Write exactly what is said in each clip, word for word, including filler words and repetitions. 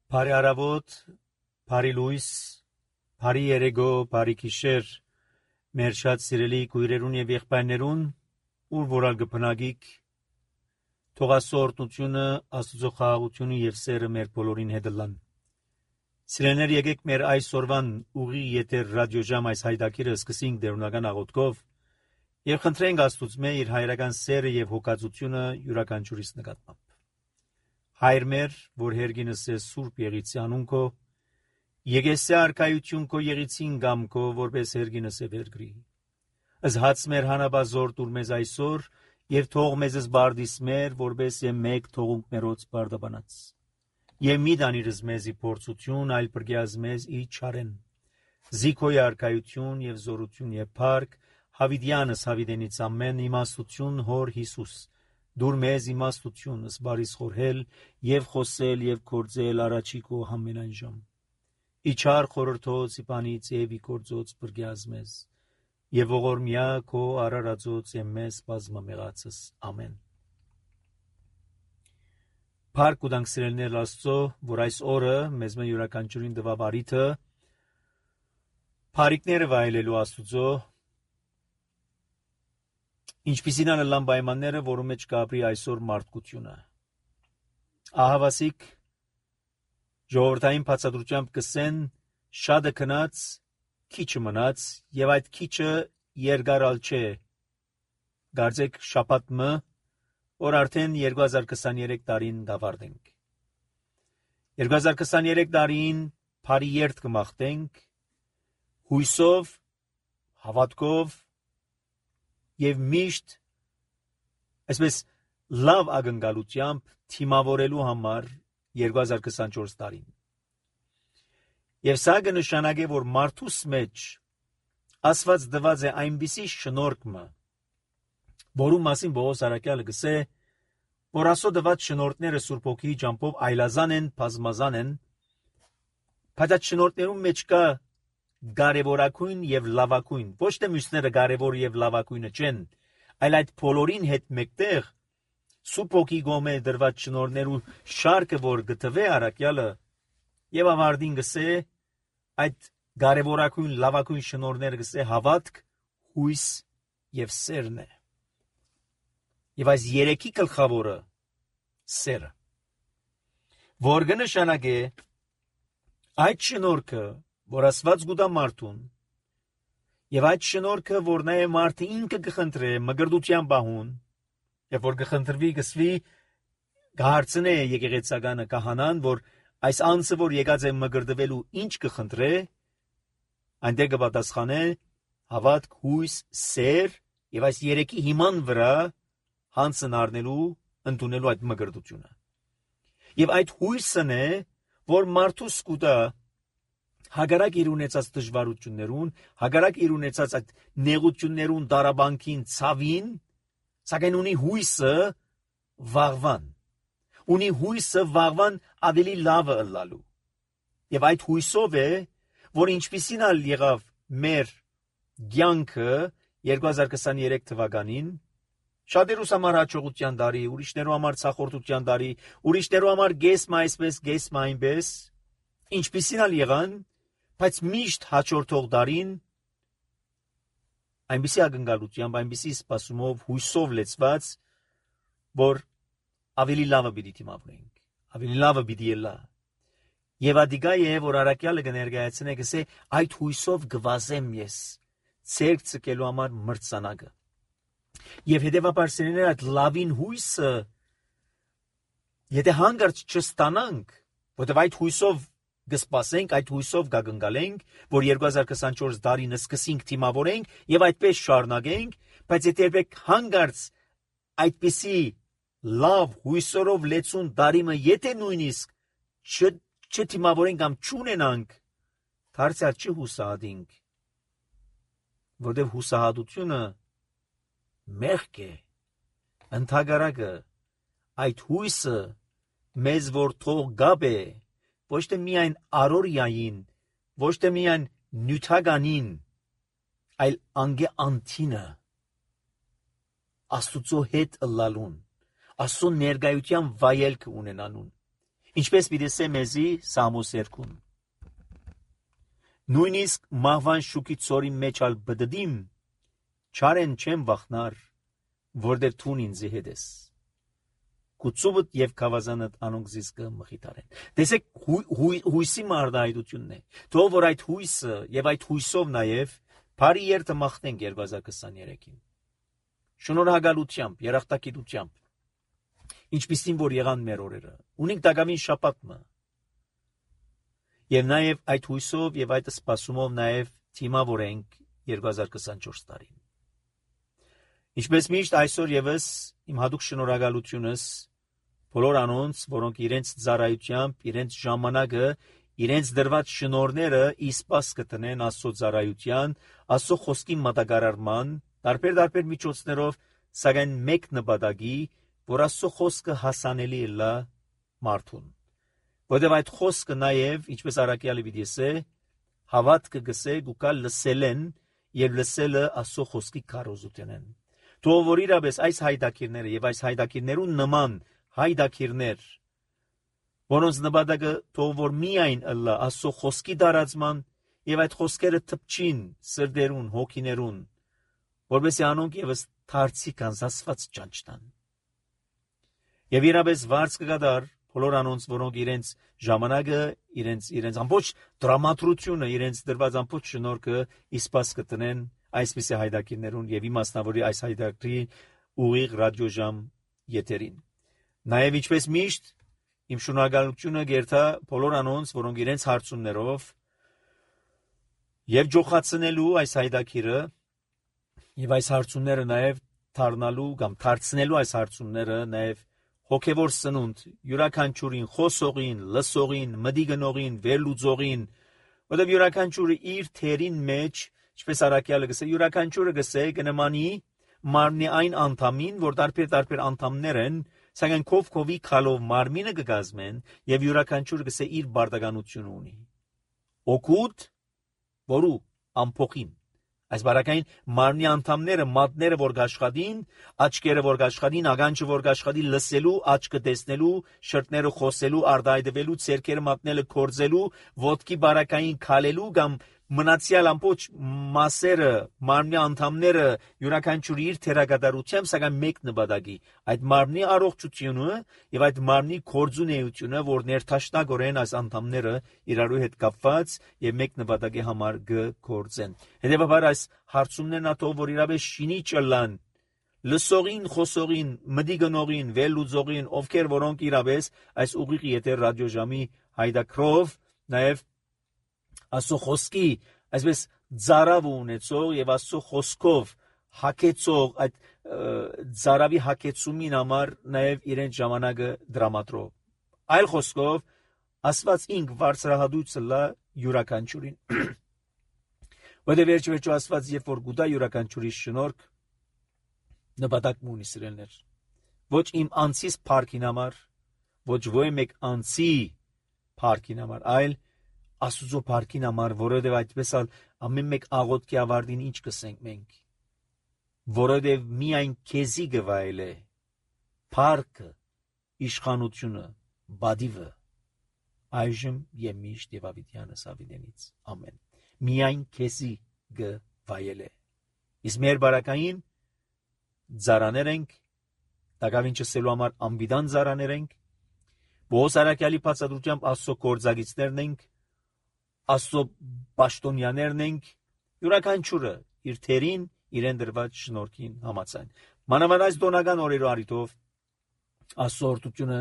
Բարի առավոտ, բարի լույս, բարի երեկո, բարի գիշեր, մեր շատ սիրելի քույրերուն եւ եղբայրներուն, ուր որալ գբնագիկ, թող Աստծո օրհնությունը, Աստծո խաղաղությունը եւ սերը մեր բոլորին հետ լան։ Սիրելիներ, եկեք մեր այսօրվան ուղի եթեր ռադիոժամ այս հայտակիրը սկսենք դերունական աղոթքով եւ խնդրենք Աստծուց մեր իր հայրական սերը եւ հոգացությունը յուրաքանչյուրիս նկատմամբ։ Հայր մեր, որ հերգինս է սուրբ եղիցի անունքո, եկեսե արքայություն քո եղիցին գամ քո, որպես հերգինս է վերգրի։ Զհաց մեր հանաբազոր դուր մեզ այսօր, եւ թող մեզս բարդիս մեր, որպես է մեկ թողունք մերոց բարդաբանած։ Եվ մի դանիրս մեզի փորձություն, այլ բրգյազ մեզ ի չարեն։ Զիքոյ արքայություն եւ զորություն եւ փառք, հավիդյանս հավիդենից ամեն իմաստություն հոր Հիսուս։ Դուր մեզ իմաստություն, սբարիս խորհել եւ խոսել եւ կործել առաջի քո ամենայն ժամ։ Իչար խորհրդոց իբանից եւ իկործոց բրգյազ մեզ եւ ողորմյա քո արարածոց եւ մեզ բազմամեղացս ամեն։ Փառք ու դանք սիրելիներ Աստծո, որ այս օրը մեզ մե յուրաքանչյուրին տվավ արիթը փառիկները վայելելու Աստծո, ինչպիսին անելան պայմանները, որում մեջ կապրի այսօր մարդկությունը։ Ահավասիկ ժողովրդային բացատրությամբ կսեն շատը քնած, քիչը մնաց, եւ այդ քիչը երկարալ չէ։ Գարձեք շաբաթը, որ արդեն երկու հազար քսաներեք տարին դավարտենք։ երկու հազար քսաներեք տարին բարի երթ կմաղթենք, հույսով, հավատքով եւ միշտ այսպես լավ ակնկալությամբ թիմավորելու համար երկու հազար քսանչորս տարին։ Եվ սա կնշանակե, որ մարդուս մեջ Աստված տված է այնպիսի շնորհքը, որում մասին Պողոս առաքյալը գսե, որ Աստծո տված շնորհները Սուրբ Հոգիի ջամփով այլազան են, բազմազան են, բայց այդ շնորհներում մեջ կա կարևորակույն եւ լավակույն, ոչ թե մյուսները կարևոր եւ լավակույնը չեն, այլ այդ բոլորին հետ մեկտեղ Սուրբ Հոգի գոմե դրված շնորհներու շարքը, որ գտվե առաքյալը եւ ավարտին գսե այդ կարևորակույն լավակույն շնորհները գսե հավատք, հույս եւ սերն է։ Եվ այս երեքի գլխավորը սերը, որ կնշանակե այդ շնորհքը, որ Աստված գուտա մարդուն, եւ այդ շնորհքը, որ նա է մարդը ինքը կխնդրե մգրդության բահուն, եւ որ կխնդրվի գսվի գահարցնե եկեղեցականը կահանան, որ այս անձը, որ եկած է մգրդվելու, ինչ կխնդրե, այնտեղ կպատասխանե հավատք, հույս, սեր, եւ այս երեքի հիման վրա հանցն առնելու, ընդունելու այդ մգրդությունը։ Եվ այդ հույսն է, որ մարդուս կուտա հագարակ իր ունեցած դժվարություններուն, հագարակ իր ունեցած այդ նեղություններուն, դարաբանքին, ցավին, սակայն ունի հույսը վաղվան, ունի հույսը վաղվան ավելի լավը ըլլալու։ Եվ այդ հույսով է, որ ինչպիսին ալ եղավ մեր կյանքը երկու հազար քսաներեք թվականին, շատերուս համար հաջողության տարի, ուրիշներու համար ցախորտության տարի, ուրիշներու համար գեսմա այսպես, գեսմա այնպես, ինչպիսին ալ եղան, բայց միշտ հաջորդող տարին այնպիսի ակնկալությամբ, այնպիսի սպասումով, հույսով լեցված, որ ավելի լավը պիտի դիմավորենք, ավելի լավը պիտի ելա։ Եվ ադիգա է, որ առաքյալը կներկայացնե գսե այդ հույսով գվազեմ ես, ցերկ ցկելու համար մրցանակը։ Եվ հետևաբար սերներ այդ լավին հույսը, եթե հանգարց չստանանք, որտեղ այդ հույսով կսպասենք, այդ հույսով կակնկալենք, որ երկու հազար քսանչորս տարին սկսենք թիմավորենք եւ այդպես շարունակենք, բայց եթե երբեք հանգարց այդպիսի լավ հույսորով լեցուն տարիմը եթե նույնիսկ չթիմավորենք կամ չունենանք, դարձյալ չհուսահատենք, որտեղ հուսահատությունը մեղք է, ընդհակառակը այդ հույսը մեզ որ թող գապ է, ոչ թե միայն առօրյային, ոչ թե միայն նյութականին, այլ անգե անթինը, Աստուծո հետ ըլլալուն, Աստծո ներկայության վայելքը ունենանուն։ Ինչպես պիտեսե մեզի Սամոս երկուն։ Նույնիսկ մահվան շուկի ծորի մեջ ալ բդդիմ, չարեն չեմ վախնար, որդեր թուն ինձի հետ ես։ Կուծուվդ և կավազանդ անոնք զիս կմխիթարեն։ Տեսեք հույսի մարդահայտությունն է։ Թող որ այդ հույսը և այդ հույսով նաև բարի երթը մաղթենք երկու հազար քսաներեքին։ Շնորհակալությամբ, երախտագիտությամբ, ինչպիսին որ եղան մեր օրերը, ունենք տակավին շաբաթը, եւ նաեւ այդ հույսով եւ այդ սպասումով նաեւ թիմավորենք երկու հազար քսանչորս տարին։ Ինչպես միշտ այսօր եւս իմ հատուկ շնորհակալությունս բոլոր անոնց, որոնք իրենց ծառայությամբ, իրենց ժամանակը, իրենց դրված շնորհները իսպաս կտնեն Աստծո ծառայության, Աստծո խոսքի մատակարարման, տարբեր-տարբեր միջոցներով, սակայն մեկ նպատակի, որ Աստծո խոսքը հասանելի լա մարդուն։ Որտեղ այդ խոսքը նաև, ինչպես Արաքյալը պիտի ասե, հավատքը գսե գուկա լսելեն եւ լսելը Աստծո խոսքի քարոզությունն։ Թող որ իրապես այս հայդակիրները եւ այս հայդակիրներուն նման հայդակիրներ, որոնց նպատակը թող որ միայն ըլլա Աստծո խոսքի դարածման եւ այդ խոսքերը թփչին սրդերուն, հոգիներուն, որովհետեւ անոնք եւս դարձի կանզասված ճանչտան։ Եվ իրապես վարձ կգադար բոլոր անոնց, որոնք իրենց ժամանակը, իրենց իրենց ամբողջ դրամատրությունը, իրենց դրված ամբողջ շնորհքը իսպաս կտնեն այսպիսի հայդակիրներուն եւ իմաստնավորի այս հայդակրի ուղիղ ռադիոժամ եթերին։ Նաեւ ինչպես միշտ իմ շնորհակալությունը գերտա բոլոր անոնց, որոնք իրենց հարցումներով եւ ջոխացնելու այս հայդակիրը եւ այս հարցումները նաեւ դառնալու կամ դարձնելու այս հարցումները նաեւ հոգևոր սնունդ յուրաքանչյուրին խոսողին, լսողին, մդի գնողին, վերլուծողին, որտեղ յուրաքանչյուրը իր թերին մեջ, ինչպես Արաքյալը գսե, յուրաքանչյուրը գսե կնմանի մարմնի այն անդամին, որ տարբեր-տարբեր անդամներ են, սակայն քով-քովի քալով մարմինը կգազմեն եւ յուրաքանչյուրը գսե իր բարդականությունը ունի։ Օգուտ, որու ամփոխին այս բարակային մարմնի անդամները, մատները որ գաշխատին, աչքերը որ գաշխատին, ագանջը որ գաշխատի լսելու, աչքը տեսնելու, շրտները խոսելու, արտահայտվելու, ցերկերը մատնելը կորձելու, ոտքի բարակային քալելու կամ մնացյալ ամբողջ մասերը, մարմնի անդամները յուրաքանչյուրի իր թերագադարությամբ, սակայն մեկ նպատակի, այդ մարմնի առողջությունը եւ այդ մարմնի կորձունեությունը, որ ներթաշնագորեն այս անդամները իրարու հետ կապված եւ մեկ նպատակի համար կգործեն։ Հետեւաբար այս հարցումներն ատով որ իրավես շինի ճլան լսողին, խոսողին, մդի գնողին, վերլուծողին, ովքեր որոնք իրավես այս ուղիղ եթեր ռադիոժամի հայդակրով նաեւ Աստծո խոսքի այսպես ծարավ ունեցող եւ Աստծո խոսքով հակեցող այդ ծարավի հակեցումին համար նաեւ իրեն ժամանակը դրամատրով։ Այլ խոսքով Աստված ինք բարձրահատույցը լա յուրաքանչյուրին։ Որտեղ վերջ-վերջո Աստված երբ որ գուտա յուրաքանչյուրի շնորհք նպատակ ունի սիրելներ։ Ոչ իմ անձիս փառքին համար, ոչ ոյ մեկ անձի փառքին համար, այլ Աստուծո փառքին համար, որովհետև այդպես ալ ամեն մեկ աղոթքի ավարտին ինչ կսենք մենք, որովհետև միայն քեզի գվայել է փառքը, իշխանությունը, բադիվը, այժմ եւ միշտ եւ ավիտյանս ավիտենից, ամեն։ Միայն քեզի գվայել է։ Իսկ մեր բարակային ծառաներ ենք, տակավին չսելու համար անբիդան ծառաներ ենք, Պողոս Արաքյալի բացատրությամբ Աստծո գործագիցներն ենք, Աստծո պաշտոնյաներն ենք, յուրաքանչյուրը իր թերին իրեն դրված շնորհքին համաձայն։ Մանավանդ այս դոնական օրերու առիթով Աստծո օրհնությունը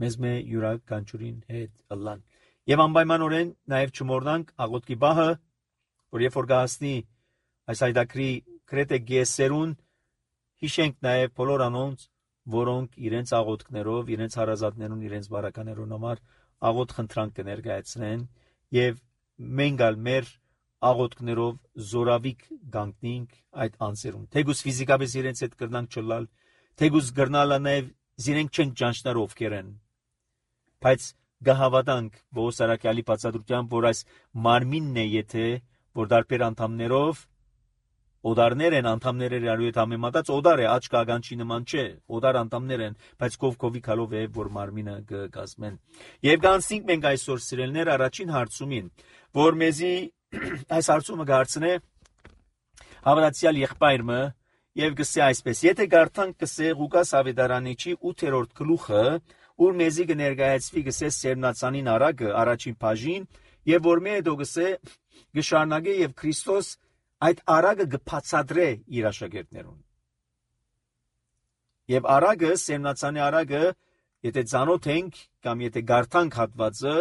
մեզ մե յուրաքանչյուրին հետ ըլլան։ Եվ անպայմանորեն նաև չմոռնանք աղոթքի բահը, որ երբ որ գահսնի այս հայդակրի գրեթե գեսերուն, հիշենք նաև բոլոր անոնց, որոնք իրենց աղոթքներով, իրենց հարազատներուն, իրենց բարականերուն համար աղոթ խնդրանք կներկայացնեն եւ մենք ալ մեր աղոթքներով զորավիկ գանքնենք այդ անձերուն։ Թեգուս ֆիզիկապես իրենց հետ կրնանք չլալ, թեգուս գրնալը նաև զիրենք չենք ճանչնար ովքեր են։ Բայց գահավատանք Պողոս Արաքյալի բացատրությամբ, որ այս մարմինն է, եթե որ դարբեր անդամներով օդարներ են, անդամներ են արու հետ համեմատած, օդար է, աչք ագանչի նման չէ, օդար անդամներ են, բայց կով կովի քալով է, որ մարմինը կգազմեն։ Եվ գանցնենք մենք այսօր սիրելներ առաջին հարցումին, որ մեզի այս հարցումը գարցնե հավատացյալ եղբայրը եւ գսե այսպես. եթե գարթանք գսե Ղուկաս ավետարանիչի ութերորդ գլուխը, ուր մեզի կներկայացվի գսե սերմնացանին արագը առաջին բաժին, եւ որ մի հետո գսե գշարնագե եւ Քրիստոս այդ արագը գբացադրե իր աշակերտներուն։ Եվ արագը, սերմնացանի արագը, եթե ծանոթ ենք կամ եթե գարթանք հատվածը,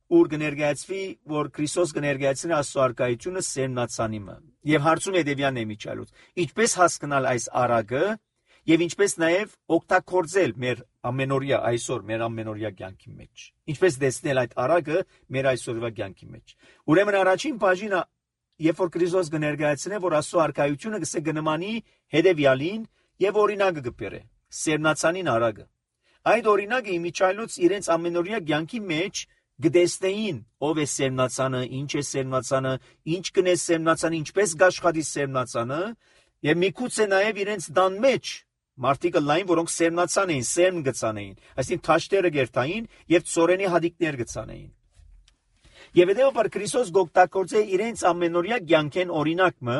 ուր կներկայացվի, որ Քրիստոս կներկայացնի Աստծո արքայությունը սերմնացանիմը։ Եվ հարցում հետևյալն է միջալուց. ինչպես հասկանալ այս արագը եւ ինչպես նաեւ օգտագործել մեր ամենօրյա այսօր մեր ամենօրյա կյանքի մեջ։ Ինչպես տեսնել այդ արագը մեր այսօրվա կյանքի մեջ։ Ուրեմն առաջին բաժինը, երբ որ Քրիստոս կներկայացնի, որ Աստծո արքայությունը կսե գնմանի հետևյալին եւ օրինակը կբերե սերմնացանին արագը։ Այդ օրինակը իմիջայլոց իրենց ամենօրյա կյանքի մեջ գտեսնեին ով է սերմնացանը, ինչ է սերմնացանը, ինչ կնե սերմնացանը, ինչպես գաշխատի սերմնացանը, եւ միգուցե նաեւ իրենց դան մեջ մարդիկը լայն, որոնք սերմնացան էին, սերմ գծանեին, այսինքն թաշտերը գերտային եւ ծորենի հադիկներ գծանեին։ Եվ հետեւաբար Քրիստոս գոկտակորձե իրենց ամենօրյա կյանքեն օրինակը,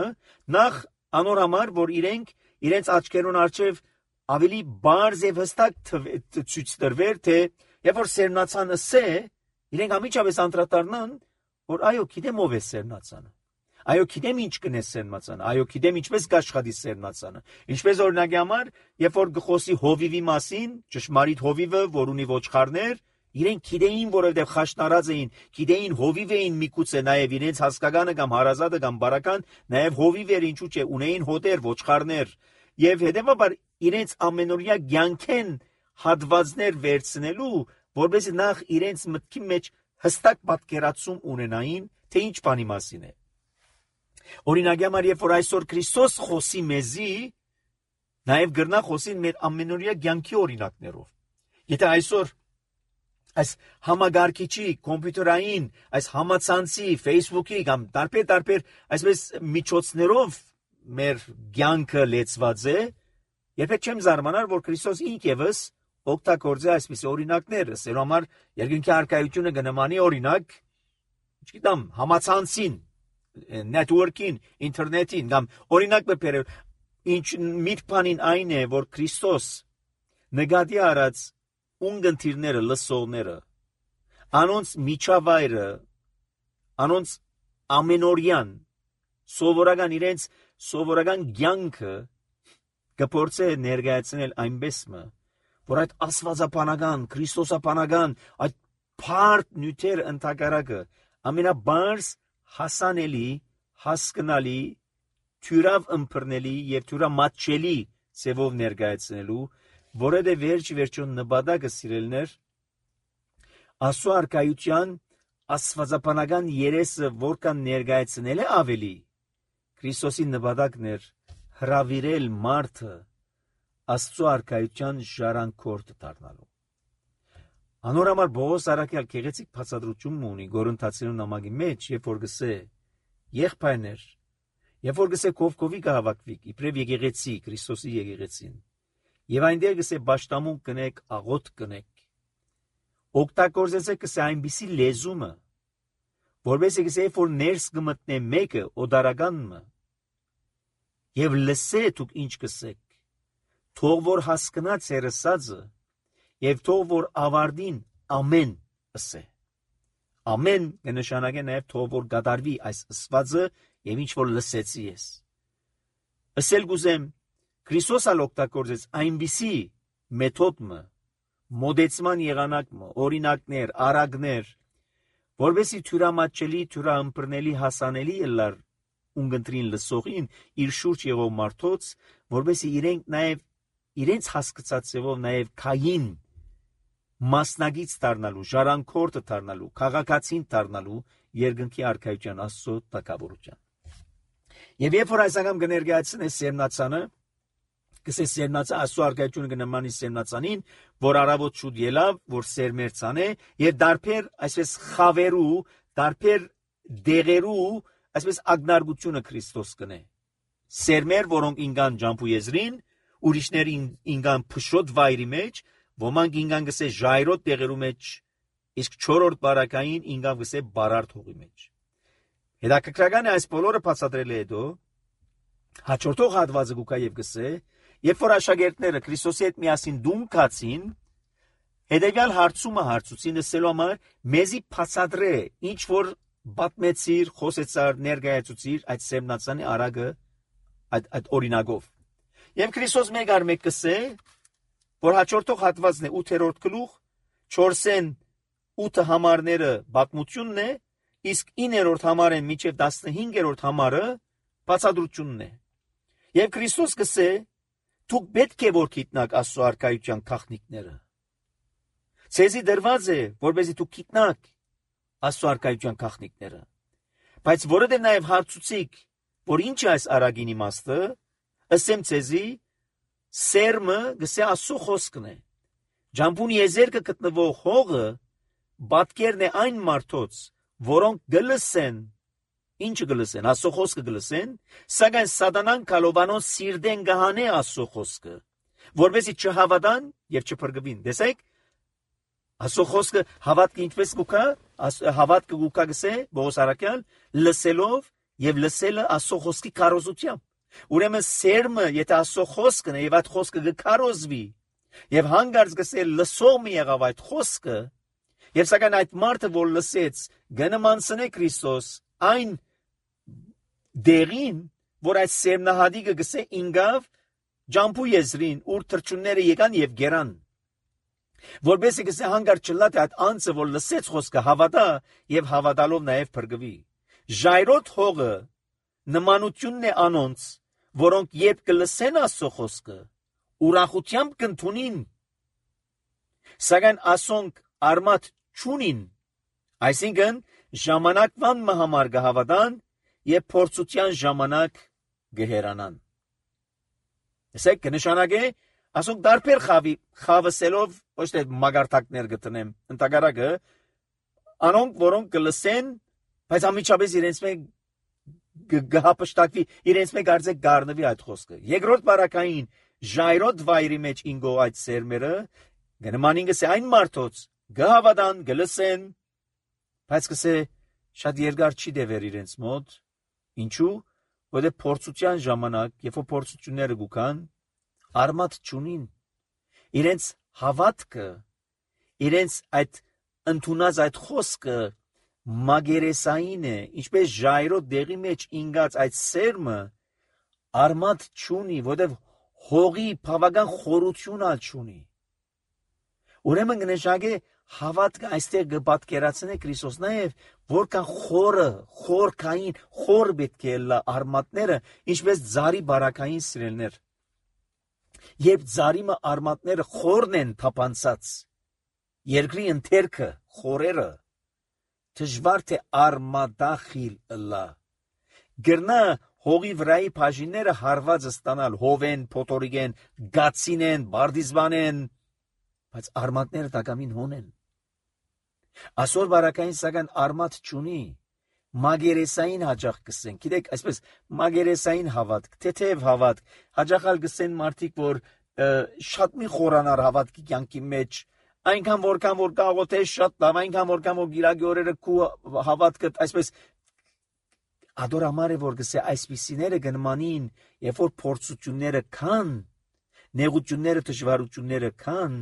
նախ անոր համար, որ իրենք իրենց աչքերուն առջև ավելի բարձ եւ հստակ ցույց տրվեր, թե երբ որ սերմնացան ասե, իրենք ամիջապես անդրադառնան, որ այո, գիտեմ ով է սերմնացանը։ Այո, գիտեմ ինչ կնե սերմնացանը, այո, գիտեմ ինչպես կաշխատի սերմնացանը։ Ինչպես օրինակի համար, երբ որ գխոսի հովիվի մասին, ճշմարիտ հովիվը, որ ունի ոչխարներ, իրենք գիտեին, որովհետև խաշնարած էին, գիտեին հովիվ էին միգուցե նաև իրենց հասկականը կամ հարազատը կամ բարական, նաև հովիվ էր ինչու՞ չէ, ունեին հոտեր, ոչխարներ, եւ հետեւաբար իրենց ամենօրյա կյանքեն հատվածներ վերցնելու, որովհետեւ նախ իրենց մտքի մեջ հստակ պատկերացում ունենային, թե ինչ բանի մասին է։ Օրինակ համար, երբ որ այսօր Քրիստոս խոսի մեզի, նաև գրնա խոսին մեր ամենօրյա կյանքի օրինակներով։ Եթե այսօր այս համագարկիչի, կոմպյուտերային, այս համացանցի, Facebook-ի կամ տարբեր-տարբեր այսպես միջոցներով մեր կյանքը լեցված է, երբեք չեմ զարմանար, որ Քրիստոս ինքևս օգտագործե այսպես օրինակներ, ասելու համար երկնքի արքայությունը կնմանի օրինակ, չգիտեմ, համացանցին, network-ին, ինտերնետին, կամ օրինակ բերել, ինչ միտքանին այն է, որ Քրիստոս նկատի առած ունգընտիրները, լսողները, անոնց միջավայրը, անոնց ամենօրյան, սովորական իրենց սովորական կյանքը կփորձե ներկայացնել այնպես մը, որ այդ աստվածապանական, քրիստոսապանական, այդ փարդ նյութեր ընդհակառակը ամենաբարձ հասանելի, հասկանալի, թյուրավ ըմբռնելի եւ թյուրամատչելի ծևով ներկայացնելու, որը վերջ վերջոն նպատակը սիրելներ Աստծո արքայության աստվածապանական երեսը որքան ներկայացնել է ավելի Քրիստոսի նպատակն էր հրավիրել մարդը Աստծո արքայության ժառանգորդ դառնալու։ Անոր համար Պողոս առաքյալ գեղեցիկ բացատրություն ունի Գորընթացիներուն նամակի մեջ, երբ որ գսե եղբայրներ, երբ որ գսե կովկովի կհավաքվիկ, իբրև եկեղեցի, Քրիստոսի եկեղեցին, եւ այնտեղ գսե պաշտամուն կնեք, աղոտ կնեք, օգտագործեցեք գսե այնպիսի լեզումը, որովհետեւ գսե որ ներս կմտնե մեկը օդարականը, եւ լսե դուք ինչ կսեք, թող որ հասկանա ձեր ասածը, եւ թող որ ավարտին ամեն ասե։ Ամեն կնշանակե նաև թող որ գադարվի այս ասվածը եւ ինչ որ լսեցի ես։ Ասել գուզեմ Քրիստոսը օգտագործեց այնպիսի մեթոդը, մոդեցման եղանակը, օրինակներ, արագներ, որովհետեւ թյուրամատչելի, թյուրաըմբռնելի հասանելի ելար ունգընտրին լսողին իր շուրջ եղող մարդոց, որովհետեւ իրենք նաև իրենց հասկացածով նաև քային մասնագից դառնալու, ժառանգորդ դառնալու, քաղաքացին դառնալու երկնքի արքայության Աստծո տակավորության։ Եվ երբ որ այս անգամ կներկայացնես սերմնացանը, կսես սերմնացը Աստծո արքայությունը կնմանի սերմնացանին, որ առավոտ շուտ ելավ, որ սերմերցան է, եւ դարբեր այսպես խավերու, դարբեր դեղերու, այսպես ագնարգությունը Քրիստոս կնե։ Սերմեր, որոնք ինգան ջամփու եզրին, ուրիշներ ինգան փշոտ վայրի մեջ, ոմանք ինգան գսե ժայռոտ տեղերու մեջ, իսկ չորրորդ բարակային ինգան գսե բարարդ հողի մեջ։ Հետաքրքրական է այս բոլորը բացատրել է հետո հաջորդող հատվածը գուկա եւ գսե, երբ որ աշակերտները Քրիստոսի հետ միասին դում կացին, հետեւյալ հարցումը հարցուցին լսելու համար մեզի բացատրե ինչ որ բատմեցիր, խոսեցար, ներկայացուցիր այդ սերմնացանի արագը այդ այդ օրինակով։ Եվ Քրիստոս մեկ առ մեկ կսե, որ հաջորդող հատվածն է ութերորդ գլուխ, չորսեն ութը համարները բացմությունն է, իսկ իններորդ համարեն մինչև տասնհինգերորդ համարը բացատրությունն է։ Եվ Քրիստոս կսե, դուք պետք է որ գիտնաք Աստծո արքայության գաղտնիքները։ Ցեզի դրված է, որպեսզի դուք գիտնաք Աստծո արքայության գաղտնիքները։ Բայց որովհետև նաև հարցուցիկ, որ ինչ է այս արագին իմաստը, ասեմ ցեզի, սերմը գսե Աստծո խոսքն է։ Ջամփուն եզերքը գտնվող հողը բատկերն է այն մարդոց, որոնք գլսեն, ինչը գլսեն, Աստծո խոսքը գլսեն, սակայն սատանան կալովանոն սիրտեն գահանե Աստծո խոսքը, որովհետեւ չհավատան եւ չփրկվին։ Տեսեք, Աստծո խոսքը հավատքը ինչպես գուկա, հավատքը գուկա գսե, Բողոս Արաքյալ, լսելով եւ լսելը Աստծո խոսքի կարոզությամբ։ Ուրեմն սերմը, եթե Աստծո խոսքն է եւ այդ խոսքը կկարոզվի, եւ հանգարց գսե լսող մի եղավ այդ խոսքը, եւ սակայն այդ մարդը, որ լսեց, գնմանցնե Քրիստոս այն դերին, որ այդ սերմնահատիկը գսե ինգավ ջամփու եզրին, ուր թրջունները եկան եւ գերան։ Որբեսի գսե հանգարց չլա թե այդ անձը, որ լսեց խոսքը, հավատա եւ հավատալով նաեւ փրկվի։ Ժայռոտ հողը նմանությունն է անոնց, որոնք երբ կլսեն Աստծո խոսքը, ուրախությամբ կընդունին, սակայն ասոնք արմատ չունին, այսինքն ժամանակվան համար կհավատան եւ փորձության ժամանակ կհերանան։ Ասեք կնշանակե, ասոնք դարբեր խավի խավսելով ոչ թե մագարտակներ գտնեմ, ընդհանրակը անոնք, որոնք կլսեն, բայց ամիջապես իրենց մեջ գհապշտակվի, իրենց մեջ արդյոք գառնվի այդ խոսքը։ Երկրորդ բարակային ժայռոտ վայրի մեջ ինգո այդ սերմերը գնմանին գսե այն մարդոց գհավատան, գլսեն, բայց գսե շատ երկար չի դեվեր իրենց մոտ։ Ինչու՞, որովհետև փորձության ժամանակ, երբ որ փորձությունները գուքան, արմատ չունին։ Իրենց հավատքը, իրենց այդ ընդունած այդ խոսքը մագերեսային է, ինչպես ժայռոտ դեղի մեջ ինգած այդ սերմը արմատ չունի, որովհետև հողի բավական խորություն ալ չունի։ Ուրեմն կնշանակե հավատքը այստեղ կպատկերացնե Քրիստոս նաև որքան խորը, խորքային, խոր պետք է լա արմատները, ինչպես ծառի բարակային սիրելներ։ Երբ ծառիմը արմատները խորն են թափանցած, երկրի ընթերքը, խորերը, դժվար թե արմատախիլ լա։ Գրնա հողի վրայի բաժինները հարված ստանալ, հովեն, փոթորիկեն, գացինեն, բարդիզվանեն, բայց արմատները տակամին հոնեն։ Այսօր բարակային սակայն արմատ չունի, մագերեսային հաճախ կսեն, գիտեք, այսպես մագերեսային հավատք, թեթև հավատք, հաճախալ կսեն մարդիկ, որ շատ մի խորանար հավատքի կյանքի մեջ, այնքան որքան որ կաղոթե շատ լավ, այնքան որքան որ գիրագի օրերը քու հավատքը, այսպես ադորամար է որ գսե այսպիսիները գնմանին, երբ որ փորձությունները կան, նեղությունները, դժվարությունները կան,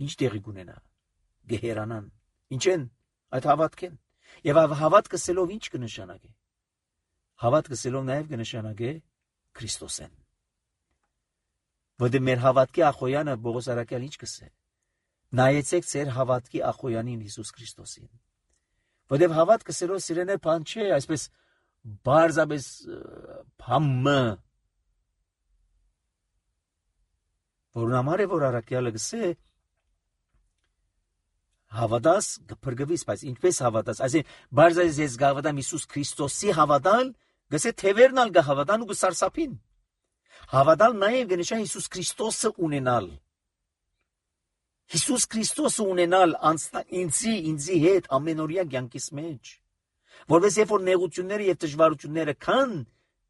ինչ տեղի կունենա, գեհերանան, ինչ են, այդ հավատք են, և հավատ կսելով ինչ կնշանագե, հավատ կսելով նաև կնշանագե Քրիստոս են, որդ մեր հավատքի ախոյանը Բողոս Արաքյալ ինչ կսե, նայեցեք ձեր հավատքի ախոյանին Հիսուս Քրիստոսին, որդ հավատ կսելով սիրեներ բան չէ, այսպես բարձապես բամը, որն համար է, որ Արաքյալը կսե, հավատաս կփրկվիս, բայց ինչպես հավատաս, այսինքն բարձրացի ես գավատամ Հիսուս Քրիստոսի հավատալ, գսե թևերն ալ գհավատան ու գսարսափին։ Հավատալ նաև կնշա Հիսուս Քրիստոսը ունենալ։ Հիսուս Քրիստոսը ունենալ ինձի, ինձի հետ ամենօրյա կյանքիս մեջ, որպես երբ որ նեղությունները եւ դժվարությունները կան,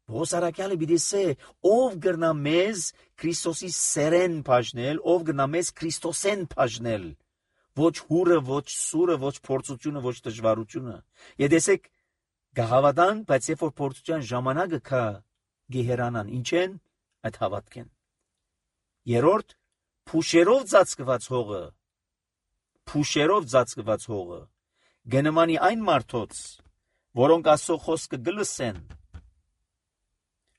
Պողոս առաքյալը բիդեսե ով գրնա մեզ Քրիստոսի սերեն բաժնել, ով գրնա մեզ Քրիստոսեն բաժնել, ոչ հուրը, ոչ սուրը, ոչ փորձությունը, ոչ դժվարությունը։ Եդեսեք գահավատան, բայց երբ որ փորձության ժամանակը կա գեհերանան, ինչ են այդ հավատքեն։ Երորդ փուշերով ծածկված հողը, փուշերով ծածկված հողը գնմանի այն մարդոց, որոնք Աստծո խոսքը գլսեն,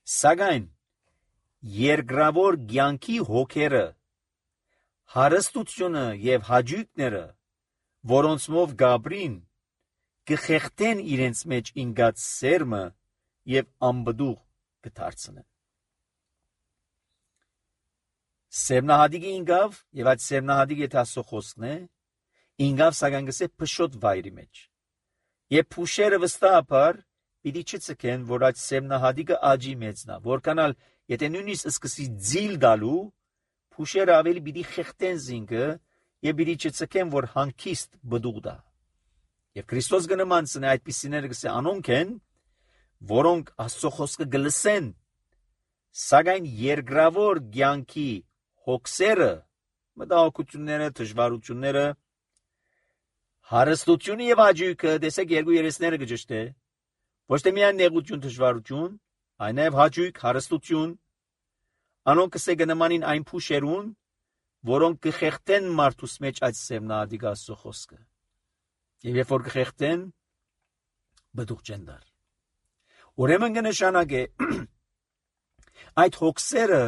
սակայն երկրավոր կյանքի հոգերը, հարստությունը եւ հաճույքները, որոնցմով գաբրին կխեղտեն իրենց մեջ ինգած սերմը եւ անբդուղ կդարձնեն։ Սերմնահատիկը ինգավ եւ այդ սերմնահատիկը եթե Աստծո խոսքն է, ինգավ սակայն գսե փշոտ վայրի մեջ։ Եվ փուշերը վստահաբար պիտի չցկեն, որ այդ սերմնահատիկը աճի մեծնա, որքանալ եթե նույնիսկ սկսի ձիլ դալու, փուշերը ավելի պիտի խեղտեն զինքը եւ պիտի չցկեն, որ հանգիստ բդուղ դա։ Եվ Քրիստոս գնմանցն է այդպիսիները գսե անոնք են, որոնք Աստծո խոսքը գլսեն, սակայն երկրավոր կյանքի հոգսերը, մտահոգությունները, դժվարությունները, հարստությունը եւ հաճույքը, տեսեք երկու երեսները գճշտե, ոչ թե միայն նեղություն, դժվարություն, այլ նաեւ հաճույք, հարստություն, անոնք կսե գնմանին այն փուշերուն, որոնք կխեղտեն մարդուս մեջ այդ սերմնահատիկ Աստծո խոսքը։ Եվ երբ որ կխեղտեն, բդուղ չեն դար։ Ուրեմն կնշանակե այդ հոգսերը,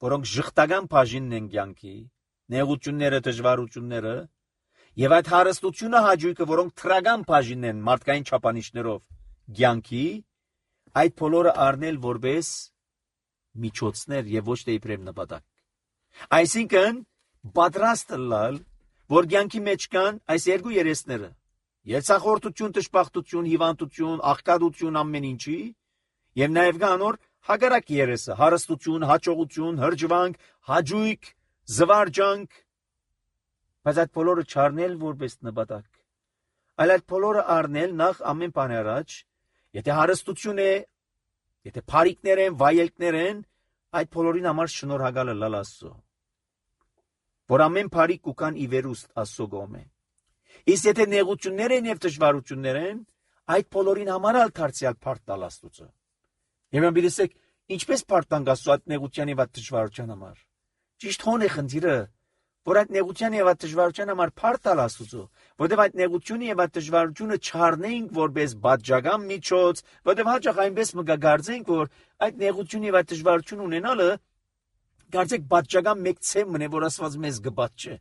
որոնք ժխտական բաժինն են կյանքի, նեղությունները, դժվարությունները, եւ այդ հարստությունը հաճույքը, որոնք թրական բաժինն են մարդկային չափանիշներով կյանքի, այդ բոլորը առնել որպես միջոցներ եւ ոչ թե իբրև նպատակ։ Այսինքն պատրաստ լալ, որ կյանքի մեջ կան այս երկու երեսները՝ երցախորտություն, դժբախտություն, հիվանդություն, աղքատություն ամեն ինչի, եւ նաեւ կա անոր հակառակ երեսը՝ հարստություն, հաջողություն, հրճվանք, հաճույք, զվարճանք, բայց այդ բոլորը չառնել որպես նպատակ, այլ այդ բոլորը առնել նախ ամեն բան առաջ, եթե հարստություն է, եթե փարիկներ են, վայելքներ են, այդ բոլորին համար շնորհակալը լալ Աստծո, որ ամեն փարիկ կուքան ի վերուստ Աստծո գոմե։ Իսկ եթե նեղություններ են եւ դժվարություններ են, այդ բոլորին համար ալ դարձյալ փառք տալ Աստծո։ Եվ ամբիլիսեք, ինչպես փառք տանք Աստծո այդ նեղության եւ այդ դժվարության համար։ Ճիշտ հոն է խնդիրը, որ այդ նեղության եւ այդ դժվարության համար փառք տալ Աստծո, որտեղ այդ նեղությունը եւ այդ դժվարությունը չառնենք որպես բաժական միջոց, որտեղ հաճախ այնպես մգագարձենք, որ այդ նեղություն եւ այդ դժվարություն ունենալը կարծեք բաժական մեկ ցեմն է, որ Աստված մեզ գբաց չէ։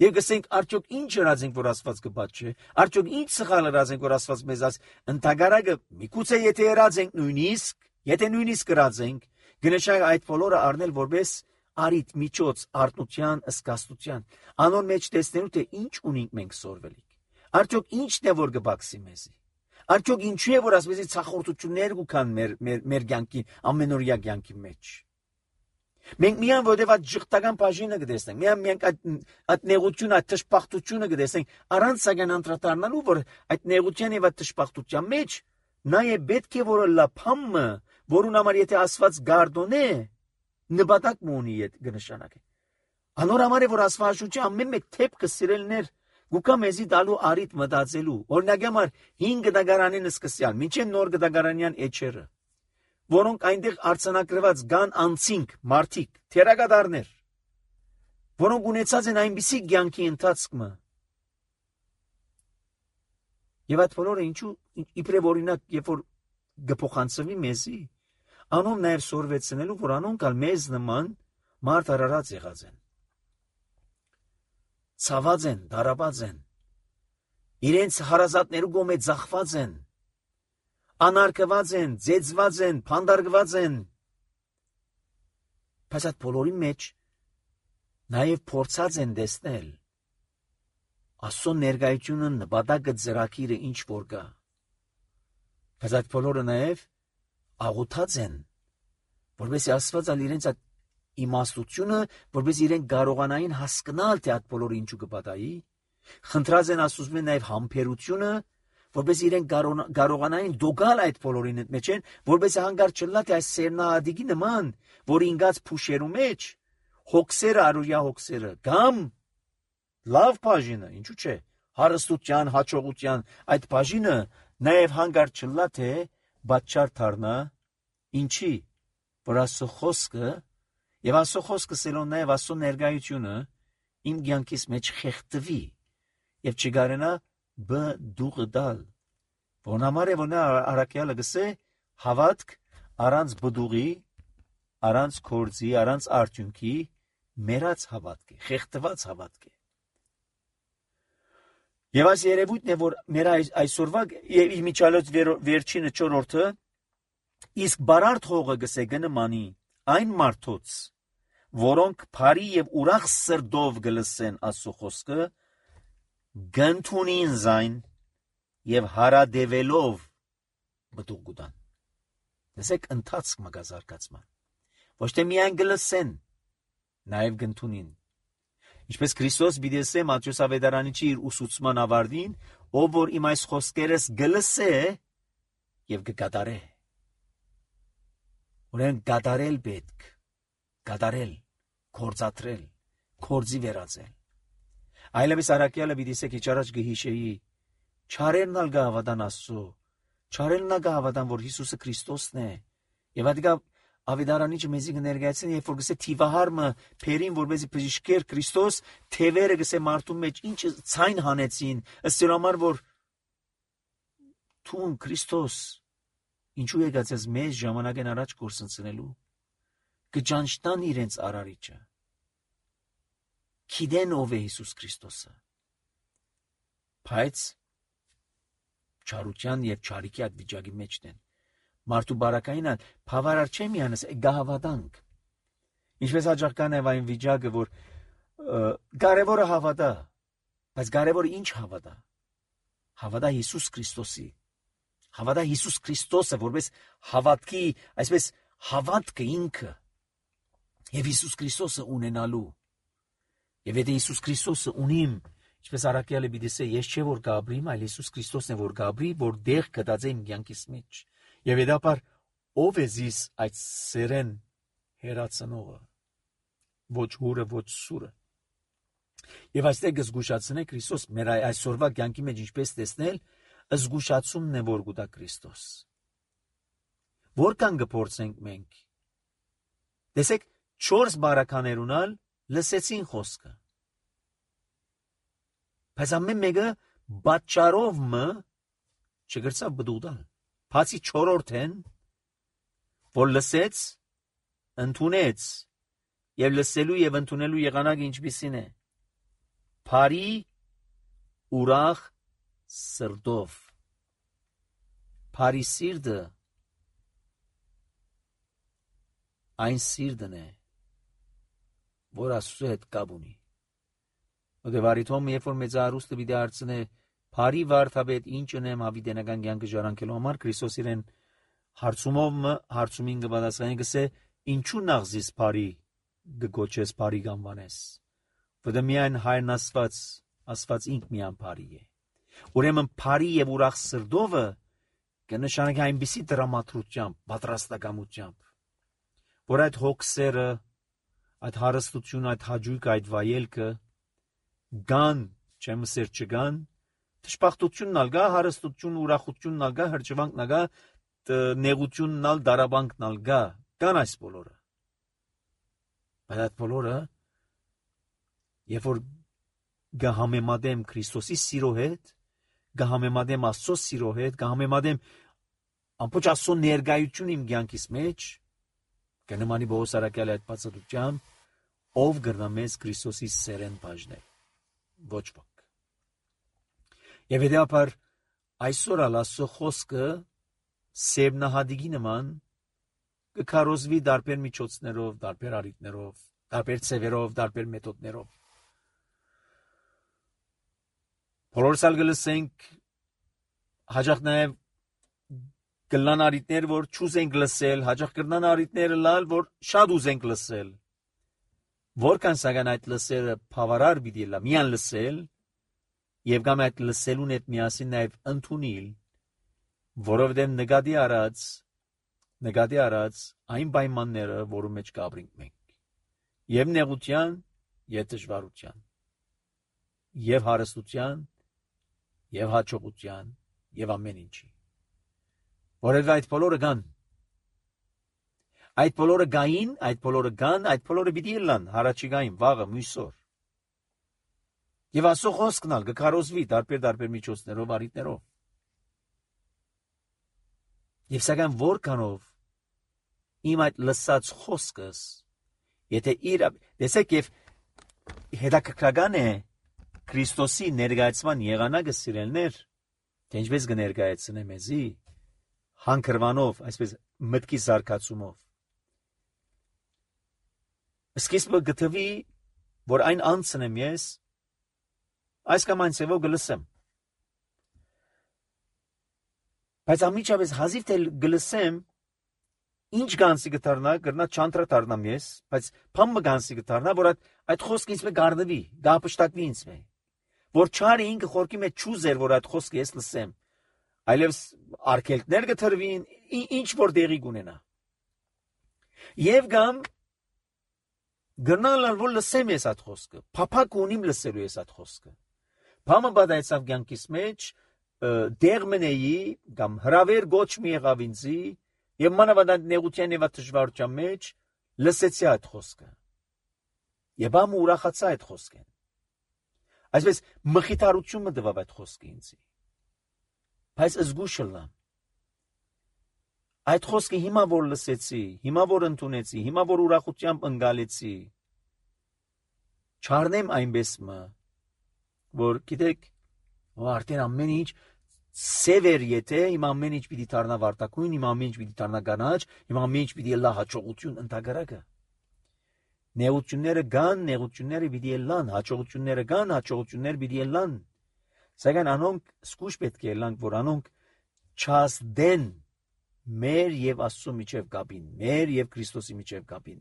Եվ գսենք արդյոք ինչ հրացենք, որ Աստված գբաց չէ, արդյոք ինչ սխալ հրացենք, որ Աստված մեզ աս ընդհանրակը միգուցե եթե հրացենք նույնիսկ, եթե նույնիսկ հրացենք, գնշակ այդ բոլորը առնել որպես արիտ միջոց արտնության, ըսկաստության, անոր մեջ տեսնելու թե ինչ ունենք մենք սորվելիք, արդյոք ինչն է որ գբաքսի մեզի, արդյոք ինչու է որ ասպեսի ցախորտություններ կան մեր մեր մեր կյանքի ամենօրյա կյանքի մեջ։ Մենք միայն որտեղ այդ ժխտական բաժինը կտեսնենք, միայն մենք այդ այդ նեղությունը, այդ դժբախտությունը կտեսնենք, առանց սակայն անդրադառնալու, որ այդ նեղության եւ այդ դժբախտության մեջ նաեւ պետք է որ լափամը, որուն համար եթե Աստված գարդոնե, նպատակ ունի այդ կնշանակե։ Անոր համար է որ Աստվածաշունչը ամեն մեկ թեփքը սիրելներ, գուկա մեզի դալու արիտ մտածելու։ Օրինակ համար հինգ դագարանին սկսյալ, մինչև նոր դագարանյան էջերը, որոնք այնտեղ արցանակրված կան անցինք, մարդիկ, թերագադարներ, որոնք ունեցած են այնպիսի կյանքի ընթացքը։ Եվ այդ բոլորը ինչու իբրև օրինակ, երբ որ գփոխանցվի մեզի, անոնք նաև սորվեցնելու, որ անոնք ալ մեզ նման մարդ արարած եղած են։ Ցաված են, դարաբած են, իրենց հարազատներու գոմե ձախված են, անարգված են, ձեծված են, փանդարգված են։ Բայց այդ բոլորի մեջ նաև փորձած են տեսնել Աստծո ներկայությունը, նպատակը, ծրագիրը ինչ որ կա։ Բայց այդ բոլորը նաև աղոթած են, որովհետեւ Աստված ալ իրենց այդ իմաստությունը, որովհետեւ իրենք կարողանային հասկանալ թե այդ բոլորը ինչու կպատահի, խնդրած են Աստծուց նաև համբերությունը, որպես իրեն կարողանային դոգալ այդ բոլորին մեջ են, որպես հանգար չլա թե այս սերնահատիկի նման, որ ինգած փուշերու մեջ հոգսերը արուրյա հոգսերը կամ լավ բաժինը, ինչու՞ չէ, հարստության, հաջողության այդ բաժինը նաև հանգար չլա թե բաճար դառնա ինչի, որ Աստծո խոսքը եւ Աստծո խոսքը սելոն նաև Աստծո ներկայությունը իմ կյանքիս մեջ խեղդվի եւ չգարենա բ դուղը դալ, որն համար է որ նա արաքյալը գսե հավատք առանց բդուղի, առանց կորձի, առանց արդյունքի մերած հավատք է, խեղդված հավատք է։ Եվ այս երևույթն է, որ մեր այսօրվա եւ իմիջալոց վերջինը չորրորդը իսկ բարարդ հողը գսե գնմանի այն մարդոց, որոնք բարի եւ ուրախ սրտով գլսեն Աստծո խոսքը, գնթունին զայն եւ հարադեվելով բդուղ գուտան։ Դեսեք ընթացք մագազարկացման։ Ոչ թե միայն գլսեն, նաև գնթունին։ Ինչպես Քրիստոս բիդեսե Մատթեոս ավետարանիչի իր ուսուցման ավարտին, ով որ իմ այս խոսքերս գլսե եւ կկատարե։ Ուրեմն կատարել պետք, կատարել, կործատրել, կործի վերածել։ Այլևս արաքյալը բիդեսե քիչ առաջ գհիշեի, չարերն ալ գահավատան Աստծո, չարերն ալ գահավատան, որ Հիսուսը Քրիստոսն է, եւ ադիգա ավետարանիչը մեզի կներկայացնի, երբ որ գսե թիվահարմը փերին, որպեսզի բժշկեր Քրիստոս, թևերը գսե մարդու մեջ ինչ ցայն հանեցին, ըստ համար որ թուն Քրիստոս ինչու եկած ես մեզ ժամանակեն առաջ կորսնցնելու, կճանչնան իրենց արարիչը, գիտեն ով է Հիսուս Քրիստոսը, բայց չարության եւ չարիքի այդ վիճակի մեջն են։ Մարդու բարակային ալ բավարար չէ միանս գահավատանք։ Ինչպես հաջողական է այն վիճակը, որ կարևորը հավատա, բայց կարևորը ինչ հավատա։ Հավատա Հիսուս Քրիստոսի։ Հավատա Հիսուս Քրիստոսը, որպես հավատքի, այսպես հավատքը ինքը եւ Հիսուս Քրիստոսը ունենալու։ Եվ եթե Հիսուս Քրիստոսը ունիմ, ինչպես արաքյալը բիդեսե, ես չէ որ գաբրիմ, այլ Հիսուս Քրիստոսն է որ գաբրի, որ դեղ կդածե իմ կյանքիս մեջ։ Եվ հետապար ով է զիս այդ սերեն հերացնողը, ոչ հուրը, ոչ սուրը։ Եվ այստեղ կզգուշացնե Քրիստոս մեր այսօրվա կյանքի մեջ ինչպես տեսնել, զգուշացումն է որ գուտա Քրիստոս։ Որքան կփորձենք մենք։ Տեսեք, չորս բարականերունալ լսեցին խոսքը։ Բայց ամեն մեկը բաճարով մը չգրցավ բդուղդալ։ Բացի չորրորդեն, որ լսեց, ընդունեց, եւ լսելու եւ ընդունելու եղանակը ինչպիսին է։ Բարի ուրախ սրտով։ Բարի սիրտը այն սիրտն է, որ Աստծո հետ կապ ունի։ Ոգևարիթոմ երբ որ մեծարուստը պիտի հարցնե Բարի վարդապետ ինչ ունեմ հավիտենական կյանքը ժառանգելու համար, Քրիստոս իրեն հարցումով հարցումին կպատասխանի գսե ինչու նախզիս բարի գոչես բարի գանվանես, որտեղ միայն հայրն Աստված, Աստված ինք միան բարի է։ Ուրեմն բարի եւ ուրախ սրտովը կնշանակի այնպիսի դրամատրությամբ, պատրաստակամությամբ, որ այդ հոգսերը, այդ հարստությունը, այդ հաճույքը, այդ վայելքը գան, չեմ սեր չգան, Թշպախտությունն ալ գա, հարստությունն, ուրախությունն ալ գա, հրճվանքն ալ գա, նեղությունն ալ, դարաբանքն ալ գա, կան այս բոլորը։ Բայց այդ բոլորը, երբ որ գահամեմադեմ Քրիստոսի սիրո հետ, գահամեմադեմ Աստծո սիրո հետ, գահամեմադեմ ամբողջ Աստծո ներկայություն իմ կյանքիս մեջ, կնմանի Պողոս արաքյալի այդ բացատրությամբ, ով կրնա մեզ Քրիստոսի սերեն բաժնել, ոչ ոք։ Եվ հետապար այսօր ալ Աստծո խոսքը սերնահատիկի նման կքարոզվի դարբեր միջոցներով, դարբեր առիթներով, դարբեր ցևերով, դարբեր մեթոդներով։ Բոլորս ալ գլսենք հաջող նաև գլան առիթներ, որ չուզենք լսել, հաջող կրնան առիթները լալ, որ շատ ուզենք լսել։ Որքան սակայն այդ լսերը բավարար պիտի լա, միան լսել, եւ կամ այդ լսելուն հետ միասին նաեւ ընդունիլ, որովհետեւ նկատի առած նկատի առած այն պայմանները, որում մեջ կապրինք մենք, եւ նեղության, եւ դժվարության, եւ հարստության, եւ հաջողության, եւ ամեն ինչի, որովհետեւ այդ բոլորը կան, այդ բոլորը գային, այդ բոլորը կան, այդ բոլորը պիտի լան, հարաճիգային, վաղը, մյուսօր, եւ ասո խոսքն ալ կկարոզվի տարբեր-տարբեր միջոցներով, առիթներով, եւ սակայն որքանով իմ այդ լսած խոսքս, եթե իր, տեսեք եւ հետաքրքրական է Քրիստոսի ներկայացման եղանակը սիրելներ, թե ինչպես կներկայացնե մեզի, հանգրվանով, այսպես մտքի զարգացումով, սկիզբը գտվի, որ այն անցնեմ ես, այս կամ այն սևով գլսեմ, բայց ամիջապես հազիվ թե գլսեմ, ինչ գանսի գտարնա, գրնա չանտրա տարնամ ես, բայց փամը գանսի գտարնա, որ այդ, այդ խոսքը ինձ մե գարդվի, գապշտակվի ինձ մե, որ չարի ինքը խորքի մեջ չուզեր, որ այդ խոսքը ես լսեմ, այլևս արկելքներ գտրվին, ինչ որ դեղի գունենա, եւ գամ գրնալալ, որ լսեմ ես այդ խոսքը, փափակ ունիմ լսելու ես այդ խոսքը, փամը բադայցավ գյանքիս մեջ, դեղ մնեի, կամ հրավեր գոչ մի եղավ ինձի, եւ մանավանդ նեղության եւ դժվարության մեջ լսեցի այդ խոսքը։ Եվ ամ ուրախացա այդ խոսքեն։ Այսպես մխիթարությունը տվավ այդ խոսքը ինձի։ Բայց զգուշ լամ։ Այդ խոսքը հիմա որ լսեցի, հիմա որ ընդունեցի, հիմա որ ուրախությամբ ընկալեցի, չառնեմ այնպես մը, որ գիտեք, արդեն ամեն ինչ սևեր եթե իմ ամեն ինչ պիտի դառնա վարտակույն, իմ ամեն ինչ պիտի դառնա կանաչ, իմ ամեն ինչ պիտի լա հաջողություն ընդհանրակը։ Նեղությունները կան, նեղությունները պիտի լան, հաջողությունները կան, հաջողությունները պիտի լան։ Սակայն անոնք զգուշ պետք է լանք, որ անոնք չազդեն մեր եւ Աստծո միջև կապին, մեր եւ Քրիստոսի միջև կապին։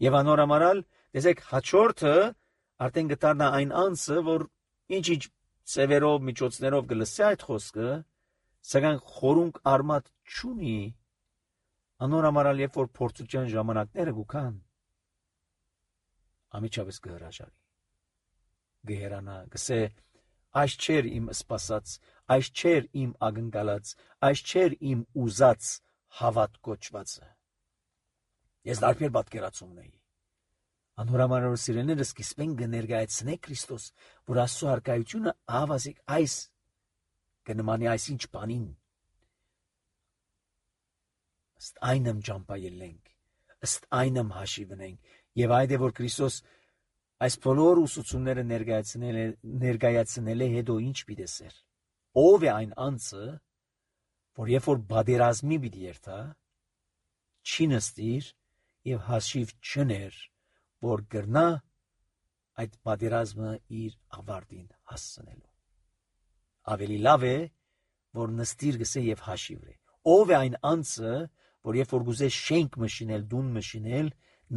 Եվ անորամարալ, տեսեք, հաջորդը արդեն կդառնա այն անձը, որ ինչ-ինչ սևերով, միջոցներով գլսի այդ խոսքը, սակայն խորունկ արմատ չունի, անորամարալ երբ որ փորձության ժամանակները գուքան, ամիջապես կհրաժարի, գհերանա, գսե, այս չէր իմ սպասած, այս չէր իմ ակնկալած, այս չէր իմ ուզած հավատ կոչվածը։ Ես դարբեր պատկերացումն էի։ Անորամարալ սիրելիները սկիզբեն կներկայացնե Քրիստոս, որ Աստծո հարկայությունը ավազիկ այս կնմանի այսինչ բանին։ Ըստ այնմ ճամփայելենք, ըստ այնմ հաշիվնենք, եւ այդ է որ Քրիստոս այս բոլոր ուսուցումները ներկայացնել է ներկայացնել է հետո ինչ պիտեսեր։ Ով է այն անձը, որ երբ որ բادرազմի պիտի երթա, չի նստիր եւ հաշիվ չներ, որ գրնա այդ բادرազմը իր ավարտին հասցնելու։ Ավելի լավ է, որ նստիր գսե եւ հաշիվրե։ Ով է այն անձը, որ երբ որ գուզե շենք մշինել, դուն մշինել,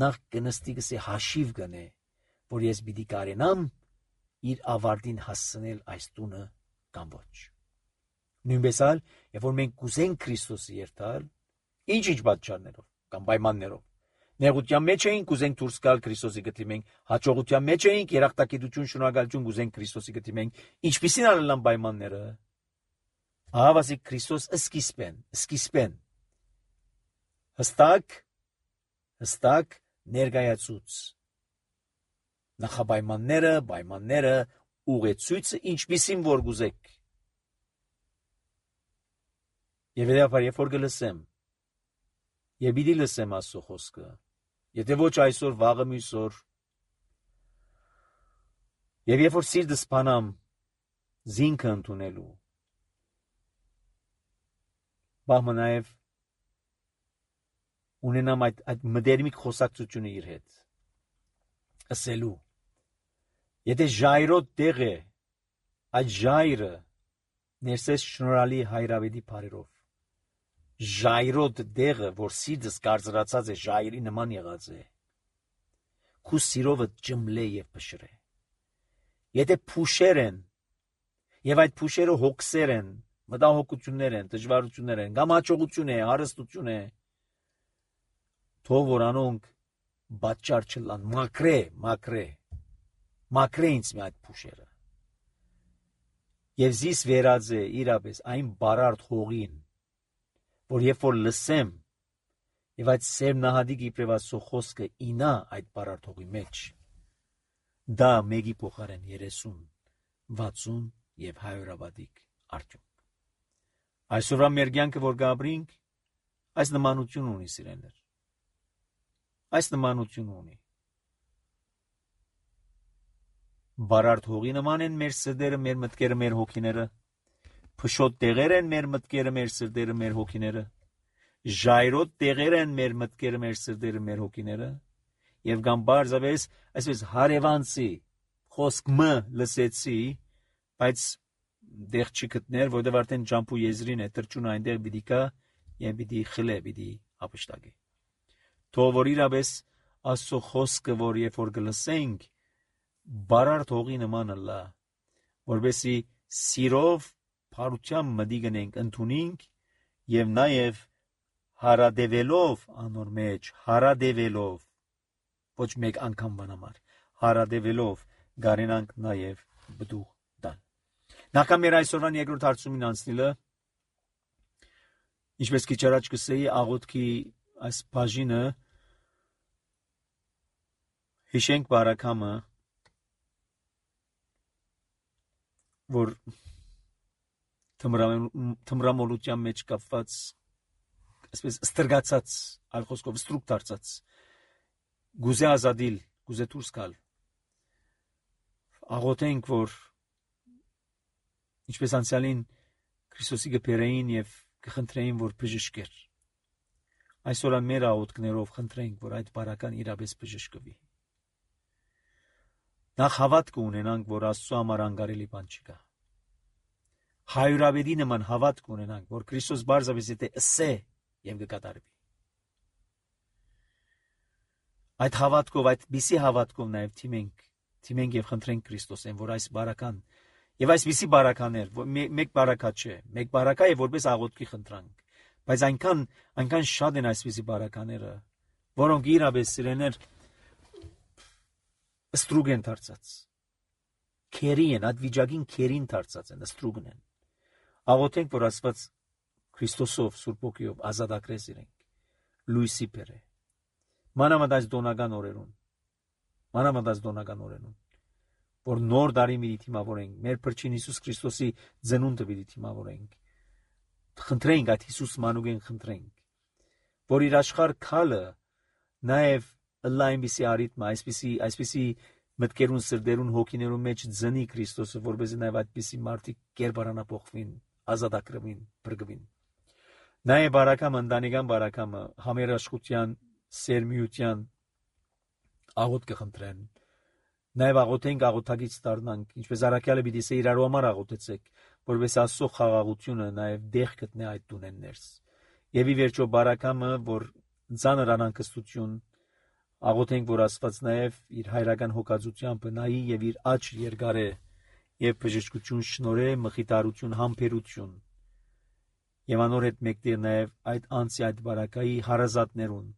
նախ կնստի գսե հաշիվ գնե, որ ես պիտի կարենամ իր ավարտին հասցնել այս տունը կամ ոչ։ Նույնպես ալ, երբ որ մենք կուզենք Քրիստոսի երթալ, ինչ-ինչ պատճառներով կամ պայմաններով, նեղության մեջ էինք, կուզենք դուրս գալ Քրիստոսի գտիմենք, հաջողության մեջ էինք, երախտագիտություն, շնորհակալություն կուզենք Քրիստոսի գտիմենք, ինչպիսին ալան պայմանները։ Ահավասիկ Քրիստոս սկիզբեն, սկիզբեն հստակ, հստակ ներկայացուց նախապայմանները, պայմանները, ուղեցույցը ինչպիսին որ գուզեք։ Եվ հետապար երբ որ կլսեմ, եւ պիտի լսեմ Աստծո խոսքը, եթե ոչ այսօր, վաղը մյուսօր, եւ երբ որ սիրտս բանամ զինքը ընդունելու, բահմը նաեւ ունենամ այդ, այդ մդերմիկ խոսակցությունը իր հետ, ասելու, եթե ժայրոտ տեղ է, այդ ժայրը ներսես շնորհալի հայրավետի բարերով, ժայրոտ դեղը, որ սիրտս կարծրացած է ժայրի նման եղած է, քու սիրովը ջմլե եւ փշրե, Եթե փուշեր են, եւ այդ փուշերը հոգսեր են, մտահոգություններ են, դժվարություններ են, կամ հաջողություն է, հարստություն է, թող որ անոնք պատճառ չլան, մակրե, մակրե, մակրե ինձ մի այդ փուշերը։ Եվ զիս վերած է իրապես այն բարարդ հողին, որ երբ որ լսեմ, եւ այդ սեր նահադիկ իբրև Աստծո խոսքը ինա այդ բարարդ հողի մեջ, դա մեկի փոխարեն երեսուն, վաթսուն եւ հայորաբադիկ արդյունք։ Այսօրվա մեր կյանքը որ գաբրինք, այս նմանություն ունի սիրելիներ։ Այս նմանություն ունի։ Բարարդ հողի նման են մեր սրտերը, մեր մտքերը, մեր հոգիները, փշոտ տեղեր են մեր մտքերը, մեր սրտերը, մեր հոգիները, ժայռոտ տեղեր են մեր մտքերը, մեր սրտերը, մեր հոգիները, եւ կամ բարձավես, այսպես հարևանցի խոսք մը լսեցի, բայց դեղ չի գտներ, որտեղ արդեն ջամփու եզրին է տրճուն այնտեղ պիտի կա եւ պիտի խլե, պիտի ապշտակի։ Թող որ իրապես Աստծո խոսքը, որ երբ որ գլսենք, բարարդ հողի նման լա, որովհետեւ սիրով փառությամբ մտի գնենք, ընդունենք եւ նաեւ հարադեվելով անոր մեջ, հարադեվելով ոչ մեկ անգամ բանամար, հարադեվելով գարենանք նաեւ բդուղ տալ։ Նախքան մեր այսօրվան երկրորդ հարցումին անցնելը, ինչպես քիչ առաջ կսեի, աղոթքի այս բաժինը հիշենք բարակամը, որ թմրամոլության մեջ կապված, այսպես ստրգացած, այլ խոսքով ստրուկ դարձած, գուզե ազադիլ, գուզե դուրս գալ։ Աղոթենք, որ ինչպես անցյալին Քրիստոսի գբերեին եւ կխնդրեին, որ բժշկեր։ Այսօր մեր աղոթքներով խնդրենք, որ այդ բարական իրապես բժշկվի։ Նախ հավատք ունենանք, որ Աստծո համար անկարելի բան չկա։ Հայրաբեդի նման հավատք ունենանք, որ Քրիստոս բարձավես եթե ասե եւ կկատարվի։ Այդ հավատքով, այդ բիսի հավատքով նաեւ թիմենք, թիմենք եւ խնդրենք Քրիստոսեն, որ այս բարական եւ այսպիսի բարականեր, մեկ բարակա չէ, մեկ բարակա է որպես աղոթքի խնդրանք, բայց այնքան, այնքան շատ են այսպիսի բարակաները, որոնք իրապես սիրեներ ստրուգ են դարձած, քերի են, այդ վիճակին քերին դարձած են, ստրուգն են։ Աղոթենք, որ Աստված Քրիստոսով, Սուրբ Օգիով ազատագրես իրենք, լույսի բերե։ Մանավանդ այս դոնական օրերուն, մանավանդ այս դոնական օրերուն, որ նոր դարի մի դիմավորենք, մեր Փրկին Հիսուս Քրիստոսի ծնունդը մի դիմավորենք։ Խնդրենք այդ Հիսուս մանուկեն խնդրենք, որ իր աշխարհ քալը նաև լայնիսի արիթմա, այսպիսի այսպիսի մտքերուն սրդերուն հոգիներուն մեջ ծնի Քրիստոսը, որովհետեւ նաև այդպիսի մարդիկ կերպարանափոխվին, ազատագրվին, բրգվին։ Նաև բարակամ ընտանեկան բարակամը համերաշխության, սերմիության աղոթք կխնդրեն։ Նաև աղոթենք, աղոթագից դառնանք, ինչպես Արաքյալը պիտի ասե իրար համար աղոթեցեք, որովհետեւ Աստծո խաղաղությունը նաև դեղ գտնե այդ տունեն ներս։ Եվ ի վերջո բարակամը, որ ծանր անհանգստություն, աղոթենք, որ Աստված նաև իր հայրական հոգածությամբ նայի եւ իր աճ երկարե եւ բժշկություն շնորհե, մխիթարություն, համբերություն։ Եվ անոր հետ մեկտեղ նաև այդ անցի այդ բարակայի հարազատներուն,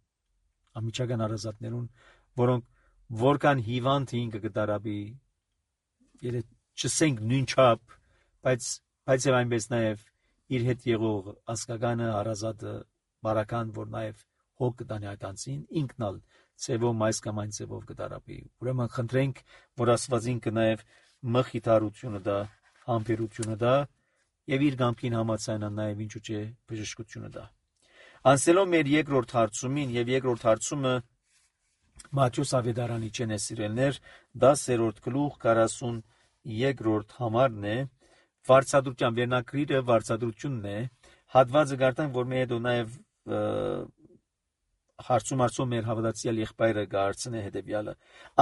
ամիջական հարազատներուն, որոնք որքան հիվանդ ինքը կդարաբի, եթե չսենք նույն չափ, բայց բայց եւ այնպես նաև իր հետ եղող ասկականը հարազատը բարական, որ նաև հոգ կտանի այդ անցին, ինքնալ ծևով մայս կամ այն ծևով կդարաբի։ Ուրեմն խնդրենք, որ Աստված ինքը նաև մխիթարությունը դա, համբերությունը դա եւ իր գամքին համաձայնան նաև ինչու՞ չէ բժշկությունը դա։ Անցելով մեր երկրորդ հարցումին եւ երկրորդ հարցումը Մատթեոս Ավետարանի չեն է սիրելներ, դասերորդ գլուխ քառասունյոթերորդ համարն է, վարձատրության վերնակրիրը վարձատրությունն է, հատվածը գարտանք, որ մեր հետո նաև հարցում արծում մեր հավատացյալ եղբայրը գարցնե հետևյալը.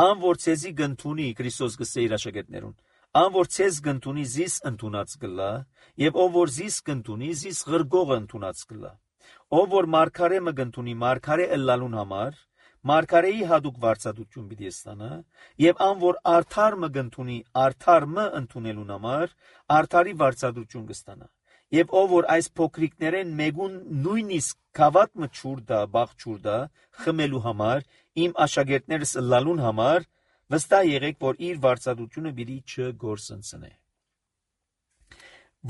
Ան որ ցեզի գնթունի Քրիստոս գսե իր աշակերտներուն, ան որ ցեզ գնթունի զիս ընդունած կլա, եւ ով որ զիս գնթունի զիս ղրգողը ընդունած կլա, ով որ մարգարե մը գնթունի մարգարե ըլլալուն համար, մարգարեի հadouk վարձատրություն պիտի ստանա, եւ ան որ արդար մը գտնունի, արդար մը ընդունելուն համար, արդարի վարձատրություն կստանա։ Եվ ով որ այս փոքրիկներեն մեկուն նույնիսկ կավատ մը ճուրդա, բաղ ճուրդա, խմելու համար, իմ աշակերտներս լալուն համար, վստահ եղեք, որ իր վարձատրությունը պիտի չգործընծնե։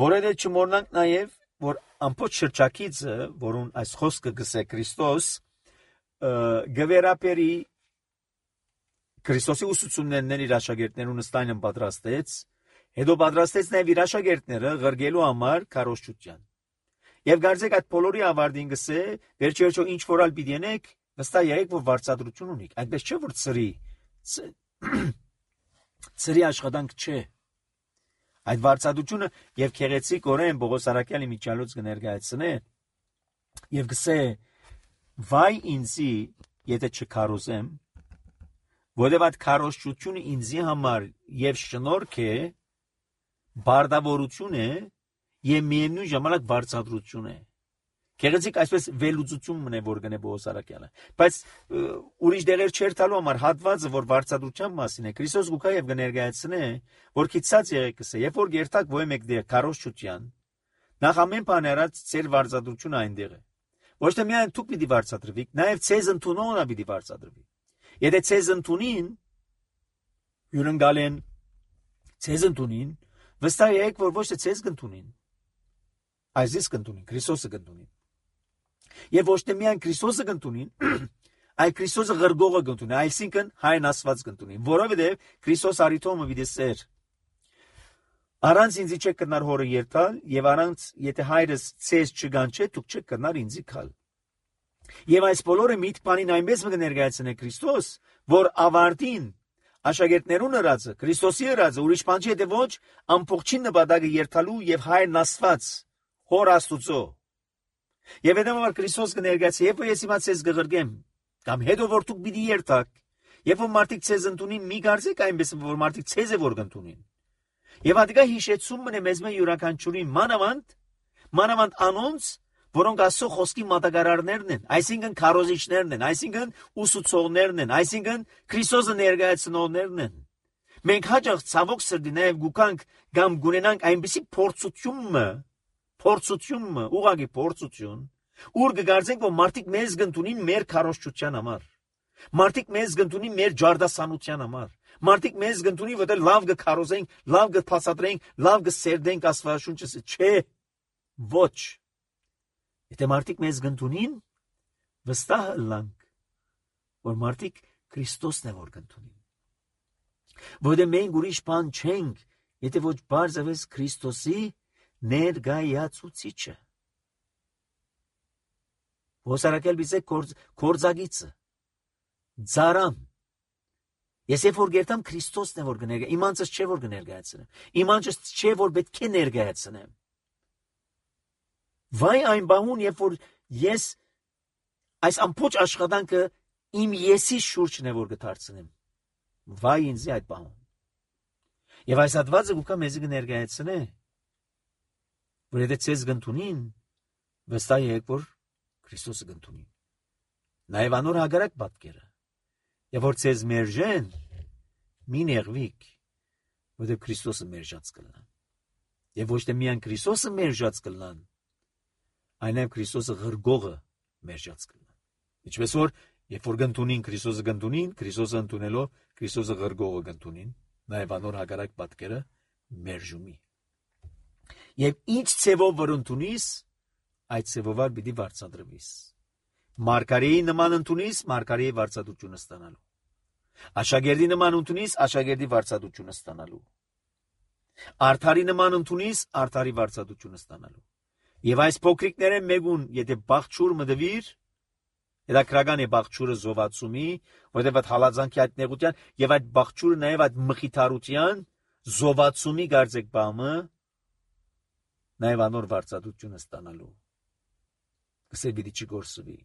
Որովհետեւ չմոռնանք նաեւ, որ ամբողջ շրջակիցը, որուն այս խոսքը գսե Քրիստոս, գվերապերի Քրիստոսի ուսուցումներն իր աշակերտներուն ստայնն պատրաստեց, հետո պատրաստեց նաև իր աշակերտները ղրգելու համար քարոզչության։ Եվ գարձեք այդ բոլորի ավարտին գսե, վերջերջո ինչ որալ պիտի ենեք, վստահ եղեք, որ վարձատրություն ունիք։ Այնպես չէ, որ ծրի ծրի աշխատանք չէ։ Այդ վարձատրությունը եւ քեղեցիկ օրեն Պողոս Արաքյալի միջալոց կներկայացնե եւ գսե վայ ինձի, եթե չքարոզեմ, որովհետև այդ քարոզչությունը ինձի համար եւ շնորհք է, բարդավորություն է եւ միևնույն ժամանակ վարձատրություն է։ Քեղեցիկ այսպես վելուծություն մնե որ գնե Պողոս Արաքյալը, բայց ուրիշ դերեր չեր տալու համար հատվածը, որ վարձատրության մասին է, Քրիստոս գուքա եւ կներկայացնե, որ քիծած եղեք կսե, երբ որ երթակ ոյ մեկ դեր քարոզչության, նախ ամեն բան արած ծեր վարձատրությունը այնտեղ է։ Ոչ թե միայն դուք պիտի վարձատրվիք, նաեւ ցեզ ընդունողը պիտի վարձատրվի։ Եթե ցեզ ընդունին, յուրընկալեն ցեզ ընդունին, վստահ եղեք, որ ոչ թե ցեզ կընդունին, այլ ես կընդունին, Քրիստոսը կընդունին։ Եվ ոչ թե միայն Քրիստոսը կընդունին, այլ Քրիստոսը ղրգողը կընդունին, այսինքն հայն Աստված կընդունին, որովհետև Քրիստոս արիթոմը պիտի սեր։ Առանց ինձի չեք կնար հորը երթալ, եւ առանց եթե հայրս ցեզ չգանչե, դուք չեք կնար ինձի քալ։ Եվ այս բոլորը միտ բանին այնպես մը ներկայացնե Քրիստոս, որ ավարտին աշակերտներուն ըրածը, Քրիստոսի ըրածը, ուրիշ բան չի, եթե ոչ ամբողջին նպատակը երթալու եւ հայրն Աստված, հոր Աստուծո։ Եվ հետո Քրիստոս կներկայացի, երբ որ ես իմաց ես գղրգեմ, կամ հետո որ դուք պիտի երթաք, երբ որ մարդիկ ցեզ ընդունին, մի կարծեք այնպես որ մարդիկ ցեզ է որ կընդունին։ Եվ ադիգա հիշեցում մնե մեզ մե յուրաքանչյուրին մանավանդ, մանավանդ անոնց, որոնք Աստծո խոսքի մատակարարներն են, այսինքն քարոզիչներն են, այսինքն ուսուցողներն են, այսինքն Քրիստոսը ներկայացնողներն են։ Մենք հաճախ ցավոք սրտի նաև գուքանք կամ գունենանք այնպիսի փորձությունը, փորձությունը, ուղղակի փորձություն, ուր կգարձենք, որ մարդիկ մեզ կընդունին մեր քարոզչության համար։ Մարդիկ մեզ կընդունին մեր ջարդասանության համար։ Մարդիկ մեզ կընդունին, որտեղ լավ կքարոզենք, լավ կփասադրենք, լավ կսերդենք Աստվածաշունչը, չէ, ոչ։ Եթե մարդիկ մեզ կընդունին, վստահ ըլլանք, որ մարդիկ Քրիստոսն է որ կընդունին։ Որտեղ մենք ուրիշ բան չենք, եթե ոչ բարձրապես Քրիստոսի ներկայացուցիչը։ Ոսարակել բիզե կորձագիցը, ձարան։ Ես երբ որ գերտամ Քրիստոսն է որ կներկայացնեմ, իմանցս չէ որ կներկայացնեմ, իմանցս չէ որ պետք է ներկայացնեմ։ Վայ այն բանուն, երբ որ ես այս ամբողջ աշխատանքը իմ եսի շուրջն է որ կդարձնեմ։ Վայ ինձ այդ բանուն։ Եվ այս հատվածը գուքա մեզ կներկայացնե, որ եթե ցեզ կընդունին, վստահ եղեք որ Քրիստոսը կընդունին։ Նաև անոր հագարակ պատկերը։ Եվ որ ցեզ մերժեն, մի նեղվիք, որտեղ Քրիստոսը մերժած կլան։ Եվ ոչ թե միայն Քրիստոսը մերժած կլան, այլ նաև Քրիստոսը ղրգողը մերժած կլան։ Ինչպես որ երբ որ կընդունին Քրիստոսը կընդունին, Քրիստոսը ընդունելով Քրիստոսը ղրգողը կընդունին, նաև անոր հագարակ պատկերը մերժումի։ Եվ ինչ ցևով որ ընդունիս, այդ ցևով պիտի վարձատրվիս։ Մարգարեի նման ընդունիս, մարգարեի վարձատրությունը ստանալու։ Աշակերտի նման ընդունիս, աշակերտի վարձատրությունը ստանալու։ Արդարի նման ընդունիս, արդարի վարձատրությունը ստանալու։ Եվ այս փոքրիկները մեկուն, եթե բաղջուր մդվիր, հետաքրական է բաղջուրը զովացումի, որտեղ այդ հալածանքի այդ նեղության եւ այդ բաղջուրը նաեւ այդ մխիթարության զովացումի գարձեք բամը նաեւ անոր վարձատրությունը ստանալու։ Կսե պիտի չգործվի։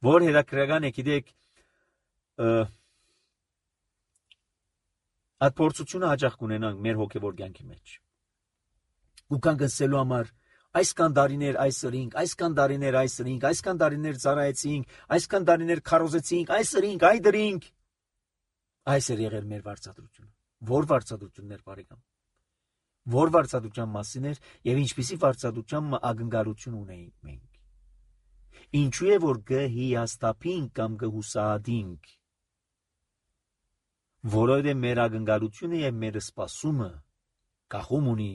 Որ հետաքրական է գիտեք այդ փորձությունը հաճախ կունենանք մեր հոգևոր կյանքի մեջ։ Ու կան գսելու համար Այսքան դարիներ այս ըրինք, այսքան դարիներ այս ըրինք, այսքան դարիներ ծառայեցինք, այսքան դարիներ քարոզեցինք, այս ըրինք, այ դրինք։ Այս էր եղել մեր վարձատրությունը։ Որ վարձատրություններ, բարեկամ։ Որ վարձատրության մասին էր եւ ինչպիսի վարձատրության ակնկալություն ունեինք մենք։ Ինչու է որ գհիաստապինք կամ գհուսահատինք։ Որովհետեւ մեր ակնկալությունը եւ մեր սպասումը կախում ունի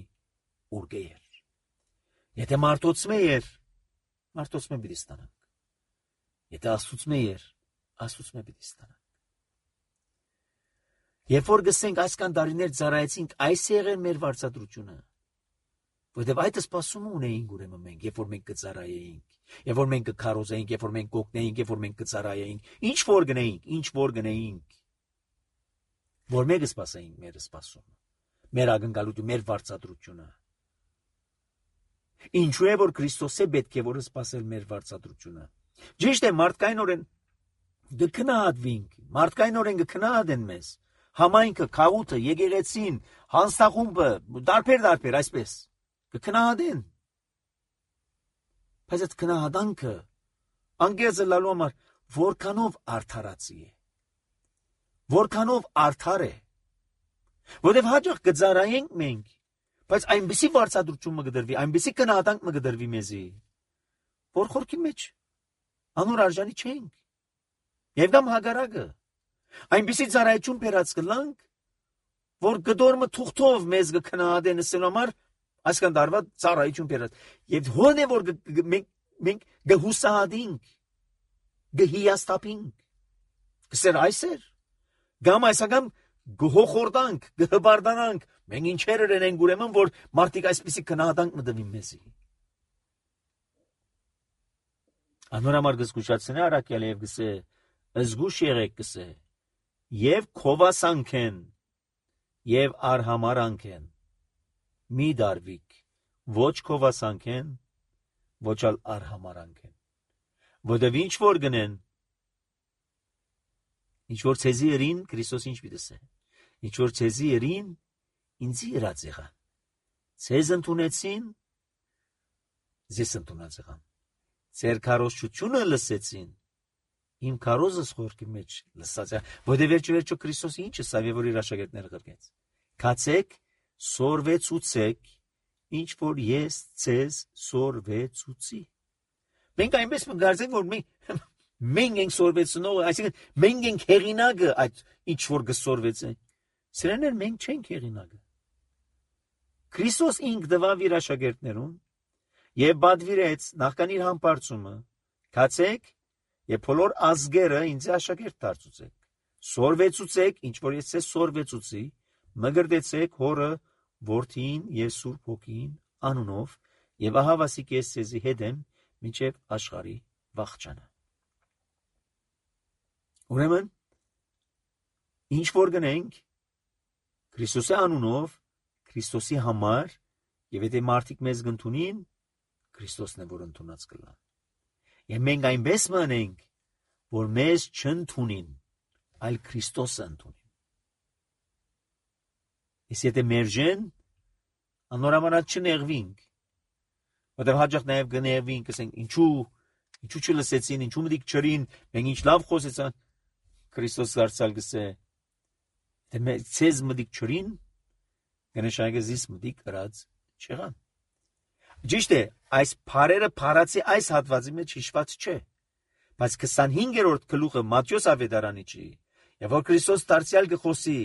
ուրգեր։ Եթե մարդոցմե էր, մարդոցմե պիտի ստանանք։ Եթե աստուծմե էր, աստուծմե պիտի ստանանք։ Երբ որ գսենք այսքան դարիներ ծառայեցինք, այս եղել մեր վարձատրությունը։ Որտեւ այդ սպասումը ունեինք ուրեմն մենք, երբ որ մենք կծառայեինք, երբ որ մենք կքարոզեինք, երբ որ մենք կօգնեինք, երբ որ մենք կծառայեինք, ինչ որ գնեինք, ինչ որ գնեինք, որ մենք սպասեինք մեր սպասումը, մեր ակնկալությունը, մեր վարձատրությունը։ Ինչու է որ Քրիստոսը պետք է որ սպասել մեր վարձատրությունը։ Ճիշտ է, մարդկայնորեն գքնահատվինք, մարդկայնորեն գքնահատեն մեզ։ Համայնքը, քաղուտը, եկեղեցին, հանձնախումբը, դարբեր-դարբեր այսպես կքնահատեն։ Բայց այդ քնահատանքը անգեզը լալու համար որքանով արդարացի է։ Որքանով արդար է։ Որտեւ հաջող կծառայենք մենք, բայց այնպիսի վարձատրություն մը կդրվի, այնպիսի քնահատանք մը կդրվի մեզի, որ խորքի մեջ անոր արժանի չենք։ Եվ կամ հագարակը այնպիսի ծառայություն բերած կլանք, որ գդորմը թուղթով մեզ կքնահատեն ասելու համար այսքան դարվա ծառայություն բերած։ Եվ հոն է որ մենք մենք գհուսահատինք, գհիաստապինք։ Կսեր այսեր, գամ այսական գհոխորդանք, գհբարդանանք, մենք ինչեր ենք ուրեմն, որ մարդիկ այսպիսի քնահատանք մտվին մեզի։ Անորամար գսկուշացնե արակյալ եւ գսե, զգուշ եղեք գսե, եւ քովասանքեն, եւ արհամարանքեն, մի դարվիկ, ոչ քովասանքեն, ոչ ալ արհամարանքեն, որտեւ ինչ որ գնեն, ինչ որ ցեզի երին, Քրիստոս ինչ պիտի ասե, ինչ որ ցեզի երին, ինձի յրած եղան, ցեզ ընդունեցին, ձեզ ընդունած եղան, ձեր քարոզչությունը լսեցին, իմ քարոզս խորքի մեջ լսած է, որտեղ վերջ-վերջո Քրիստոսը ինչ ասավ եւ որ իր աշակերտները գրկեց։ Քացեք, սորվեցուցեք, ինչ որ ես ցեզ սորվեցուցի։ Մենք այնպես մգարձենք, որ մենք մենք ենք սորվեցնողը, այսինքն մենք ենք հեղինակը այդ ինչ որ գսորվեցեն։ Սրաներ մենք չենք հեղինակը։ Քրիստոս ինք դվավ իր աշակերտներուն եւ բադվիրեց նախքան իր համբարձումը։ Քացեք եւ բոլոր ազգերը ինձ աշակերտ դարձուցեք։ Սորվեցուցեք, ինչ որ ես ցեզ սորվեցուցի, մգրդեցեք հորը, որդին եւ Սուրբ Հոգին անունով եւ ահա վասիկ ես ցեզի հետ եմ մինչեւ աշխարհի վախճանը։ Ուրեմն ինչ որ գնենք Քրիստոսի անունով, Քրիստոսի համար, եւ եթե մարդիկ մեզ գտնունին, Քրիստոսն է որ ընդունած կլան։ Եվ մենք այնպես մնենք, որ մեզ չընդունին, այլ Քրիստոսը ընդունին։ Իսկ եթե մերժեն, անորոմանած չնեղվինք, որտեղ հաջող նաև գնեղվինք, ասենք ինչու, ինչու չլսեցին, ինչու մտիկ չրին, մենք ինչ լավ խոսեցան, Քրիստոս դարձյալ գսե, թե ցեզ մտիկ չրին, գնշայգը զիս մտիկ ըրած չեղան։ Ճիշտ է, այս փարերը փարացի այս հատվածի մեջ հիշված չէ, բայց քսանհինգերորդ գլուխը Մատթեոս ավետարանի չի, եւ որ Քրիստոս դարձյալ գխոսի,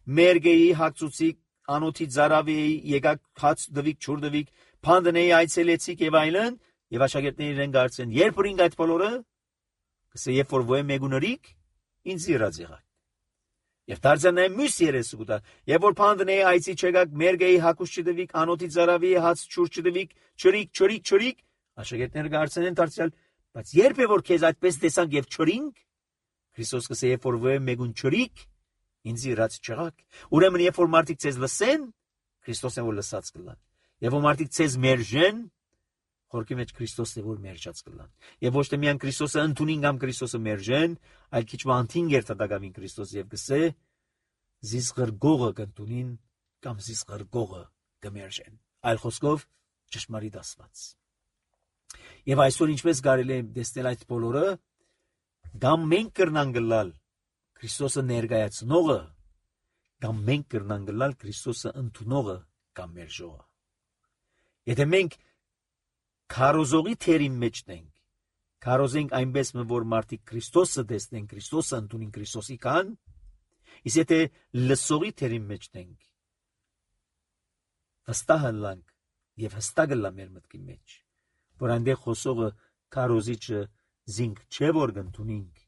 մերգեի հացուցի, անոթի ծարավեի, եկակ հաց դվիկ, չուր դվիկ, փանդնեի այցելեցիք եւ այլն, եւ աշակերտները իրեն գարցեն, երբ որինք այդ բոլորը, կսե երբ որ ոյ մեգուներիկ, ինձ իրաց եղակ։ Եվ դարձյալ մյուս երեսը գուտա, եւ որ փանդնեի այցի չեկակ, մերգեի հակուս չդվիկ, անոթի ծարավեի հաց չուր չդվիկ, չրիկ, չրիկ, չրիկ, աշակերտները գարցեն են դարձյալ, բայց երբ է որ քեզ այդպես տեսանք եւ չրինք, Քրիստոս կսե երբ որ ոյ մեգուն չրիկ, ինձ իրաց չեղակ։ Ուրեմն երբ որ մարդիկ ցեզ լսեն, Քրիստոսն է որ լսած կլան։ Եվ որ մարդիկ ցեզ մերժեն, խորքի մեջ Քրիստոսն է որ մերժած կլան։ Եվ ոչ թե միայն Քրիստոսը ընդունին կամ Քրիստոսը մերժեն, այլ քիչ մանթին երթադակավին Քրիստոս եւ գսե զիս գրգողը կընդունին կամ զիս գրգողը կմերժեն։ Այլ խոսքով ճշմարիտ ասված։ Եվ այսօր ինչպես կարելի է տեսնել այդ բոլորը, կամ մենք կրնան գլալ Քրիստոսը ներկայացնողը, կամ մենք կրնան գլալ Քրիստոսը ընդունողը կամ մերժողը։ Եթե մենք քարոզողի թերի մեջ ենք, քարոզենք այնպես, որ մարդիկ Քրիստոսը տեսնեն, Քրիստոսը ընդունին, Քրիստոսի կան, իսկ եթե լսողի թերի մեջ ենք, վստահ լանք եւ հստակ լա մեր մտքի մեջ, որ այնտեղ խոսողը քարոզիչը զինք չէ որ ընդունենք,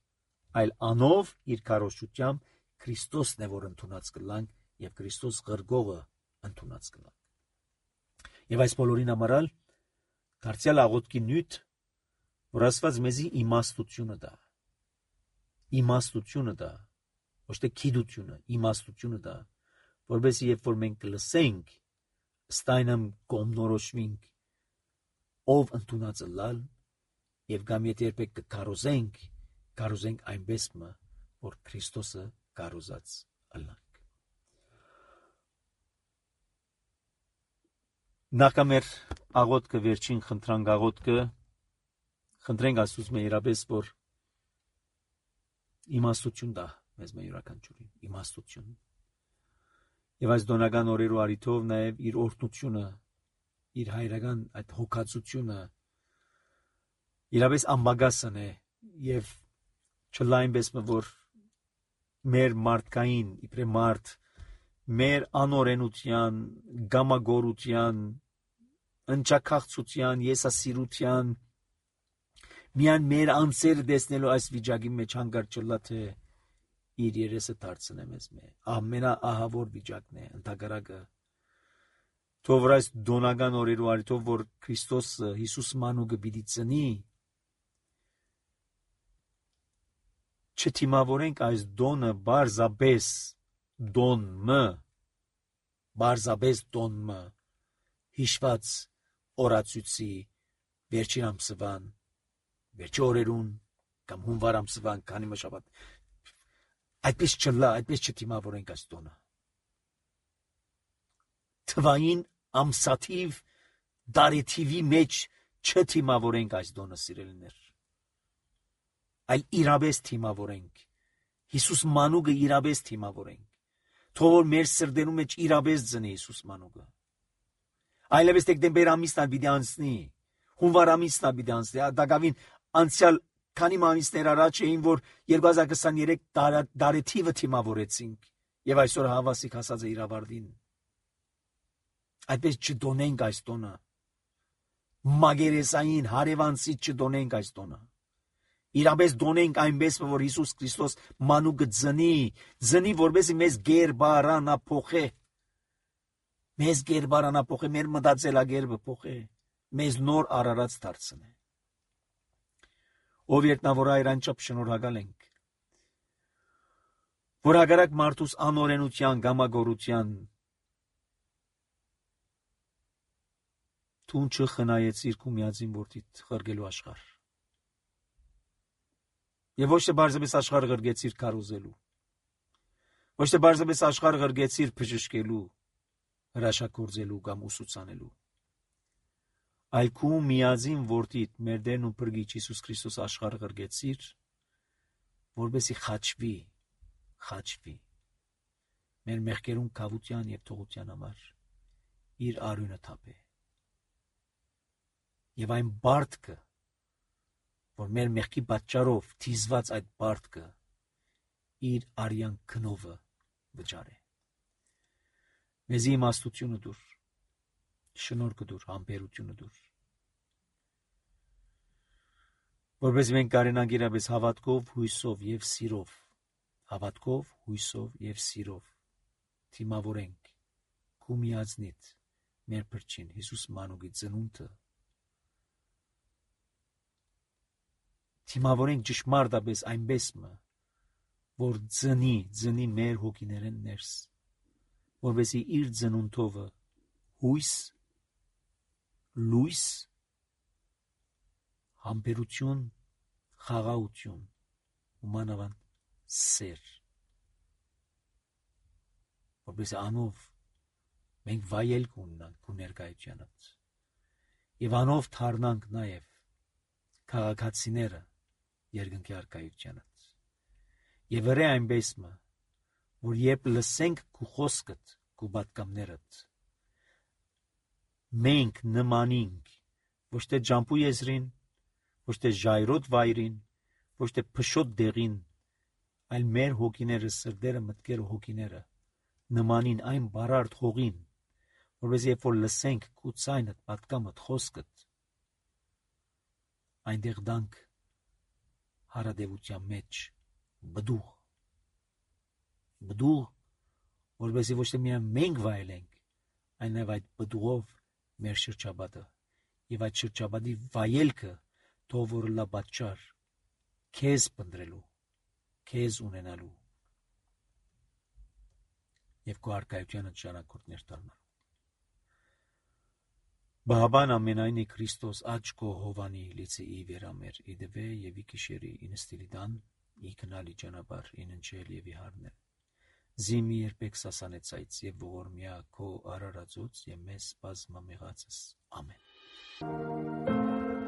այլ անով իր քարոզչությամբ Քրիստոսն է որ ընդունած կլանք եւ Քրիստոս գրգողը ընդունած կլանք։ Եվ այս բոլորին համարալ դարձյալ աղոթքի նյութ, որ Աստված մեզի իմաստությունը տա, իմաստությունը տա, ոչ թե գիտությունը, իմաստությունը տա, որովհետեւ երբ որ մենք լսենք, ստայնամ կողմնորոշվենք, ով ընդունածը լալ, եւ կամ եթե երբեք կքարոզենք, քարոզենք այնպես մը, որ Քրիստոսը քարոզած ըլլանք։ Նախամեր աղոթքը վերջին խնդրանք աղոթքը խնդրենք Աստծուց մերաբես որ իմաստություն տա մեզ մեր յուրաքանչյուրին իմաստություն եւ այս դոնական օրերու արիթով նաեւ իր օրհնությունը իր հայրական այդ հոգացությունը իրապես ամբագասն է եւ չլայնպես որ մեր մարդկային իբրե մարդ մեր անօրենության գամագորության ընչակախցության եսասիրության միան մեր անձերը տեսնելու այս վիճակի մեջ հանգարտ չլա թե իր երեսը դարձնե մեզ մե ամենաահավոր վիճակն է ընդհակառակը թող որ այս դոնական օրերու արիթով որ Քրիստոսը Հիսուս մանուկը պիտի ծնի չթիմավորենք այս դոնը բարձաբես դոնը բարձաբես դոնը հիշված օրացույցի վերջին ամսվան վերջի օրերուն կամ հունվար ամսվան քանի մշաբաթ այդպես չլա այդպես չթիմավորենք այս դոնը թվային ամսաթիվ դարեթիվի մեջ չթիմավորենք այս դոնը սիրելիներ այլ իրապես թիմավորենք Հիսուս մանուկը իրապես թիմավորենք թող որ մեր սրտերում մեջ իրապես ծնի Հիսուս մանուկը այլևս դեկտեմբեր ամիսն պիտի անցնի հունվար ամիսն պիտի անցնի դակավին անցյալ քանի ամիսներ առաջ էին որ երկու հազար քսաներեք դարեթիվը թիմավորեցինք եւ այսօր հավասիկ հասած է իր ավարտին այդպես չդոնենք այս տոնը մագերեսային հարևանցի չդոնենք այս տոնը իրապես դոնենք այնպես որ Հիսուս Քրիստոս մանուկը ծնի ծնի որպեսզի մեզ գերբարանա փոխե մեզ գերբարանա փոխե մեր մտածելակերպը փոխե մեզ նոր արարած դարձնե ով երտնավոր այրանչապ շնորհակալ ենք որ հակառակ մարդուս անօրենության գամագորության թուն չխնայեցիր քու միածին որդիդ խրգելու աշխարհ Եվ ոչ թե բարձրապես աշխարհը գրգեցիր քարոզելու ոչ թե բարձրապես աշխարհը գրգեցիր բժշկելու հրաշագործելու կամ ուսուցանելու այլ քու միածին որդիդ մեր Տերն ու Փրկիչ Հիսուս Քրիստոս աշխարհը գրգեցիր որպեսզի խաչվի խաչվի մեր մեղքերուն կավության եւ թողության համար իր արյունը թափե եւ այն բարդքը որ մեր մեղքի պատճառով թիզված այդ բարդքը իր արյան քնովը վճարե մեզի իմաստությունը դուր շնորհքը դուր համբերությունը դուր որպես մենք կարենանք իրապես հավատքով հույսով եւ սիրով հավատքով հույսով եւ սիրով թիմավորենք քու միածնիդ մեր փրկին Հիսուս մանուկի ծնունդը Թիմավորենք ճշմարտապես այնպես մը, որ ծնի, ծնի մեր հոգիներեն ներս, որովհետեւ իր ծնունդովը հույս, լույս, համբերություն, խաղաղություն, ումանավան սեր, որովհետեւ անով մենք վայելք ունենանք քու ներկայությանից, Եվ անով թարնանք նաև քաղաքացիները երկնքի արքայությանից։ Եվ վրե այնպես մը, որ երբ լսենք քու խոսքդ, քու պատկամներդ, մենք նմանինք ոչ թե ջամփու եզրին, ոչ թե ժայռոտ վայրին, ոչ թե փշոտ դեղին, այլ մեր հոգիները, սրտերը, մտքերը, հոգիները նմանին այն բարարդ հողին, որպես երբ որ լսենք քու ցայնդ, պատկամդ, խոսքդ, այնտեղ դանք հարադեվության մեջ բդուղ, բդուղ, որպեսզի ոչ թե միայն մենք վայելենք, այլ նաև այդ բդուղով մեր շրջապատը եւ այդ շրջապատի վայելքը թող որ լա պատճառ քեզ փնտրելու, քեզ ունենալու եւ քո արքայությանը ճանաչորդներ դառնալու։ Բաբան ամենայնի Քրիստոս աչքո հովանի լիցի ի վերամեր իդվե եւ ի քիշերի ինստիլիդան ի քնալի ճանապար իննչել եւ ի հարնել զիմի երբեք սասանեցայց եւ ողորմյա քո արարածուց եւ մեզ բազմամեղածս ամեն։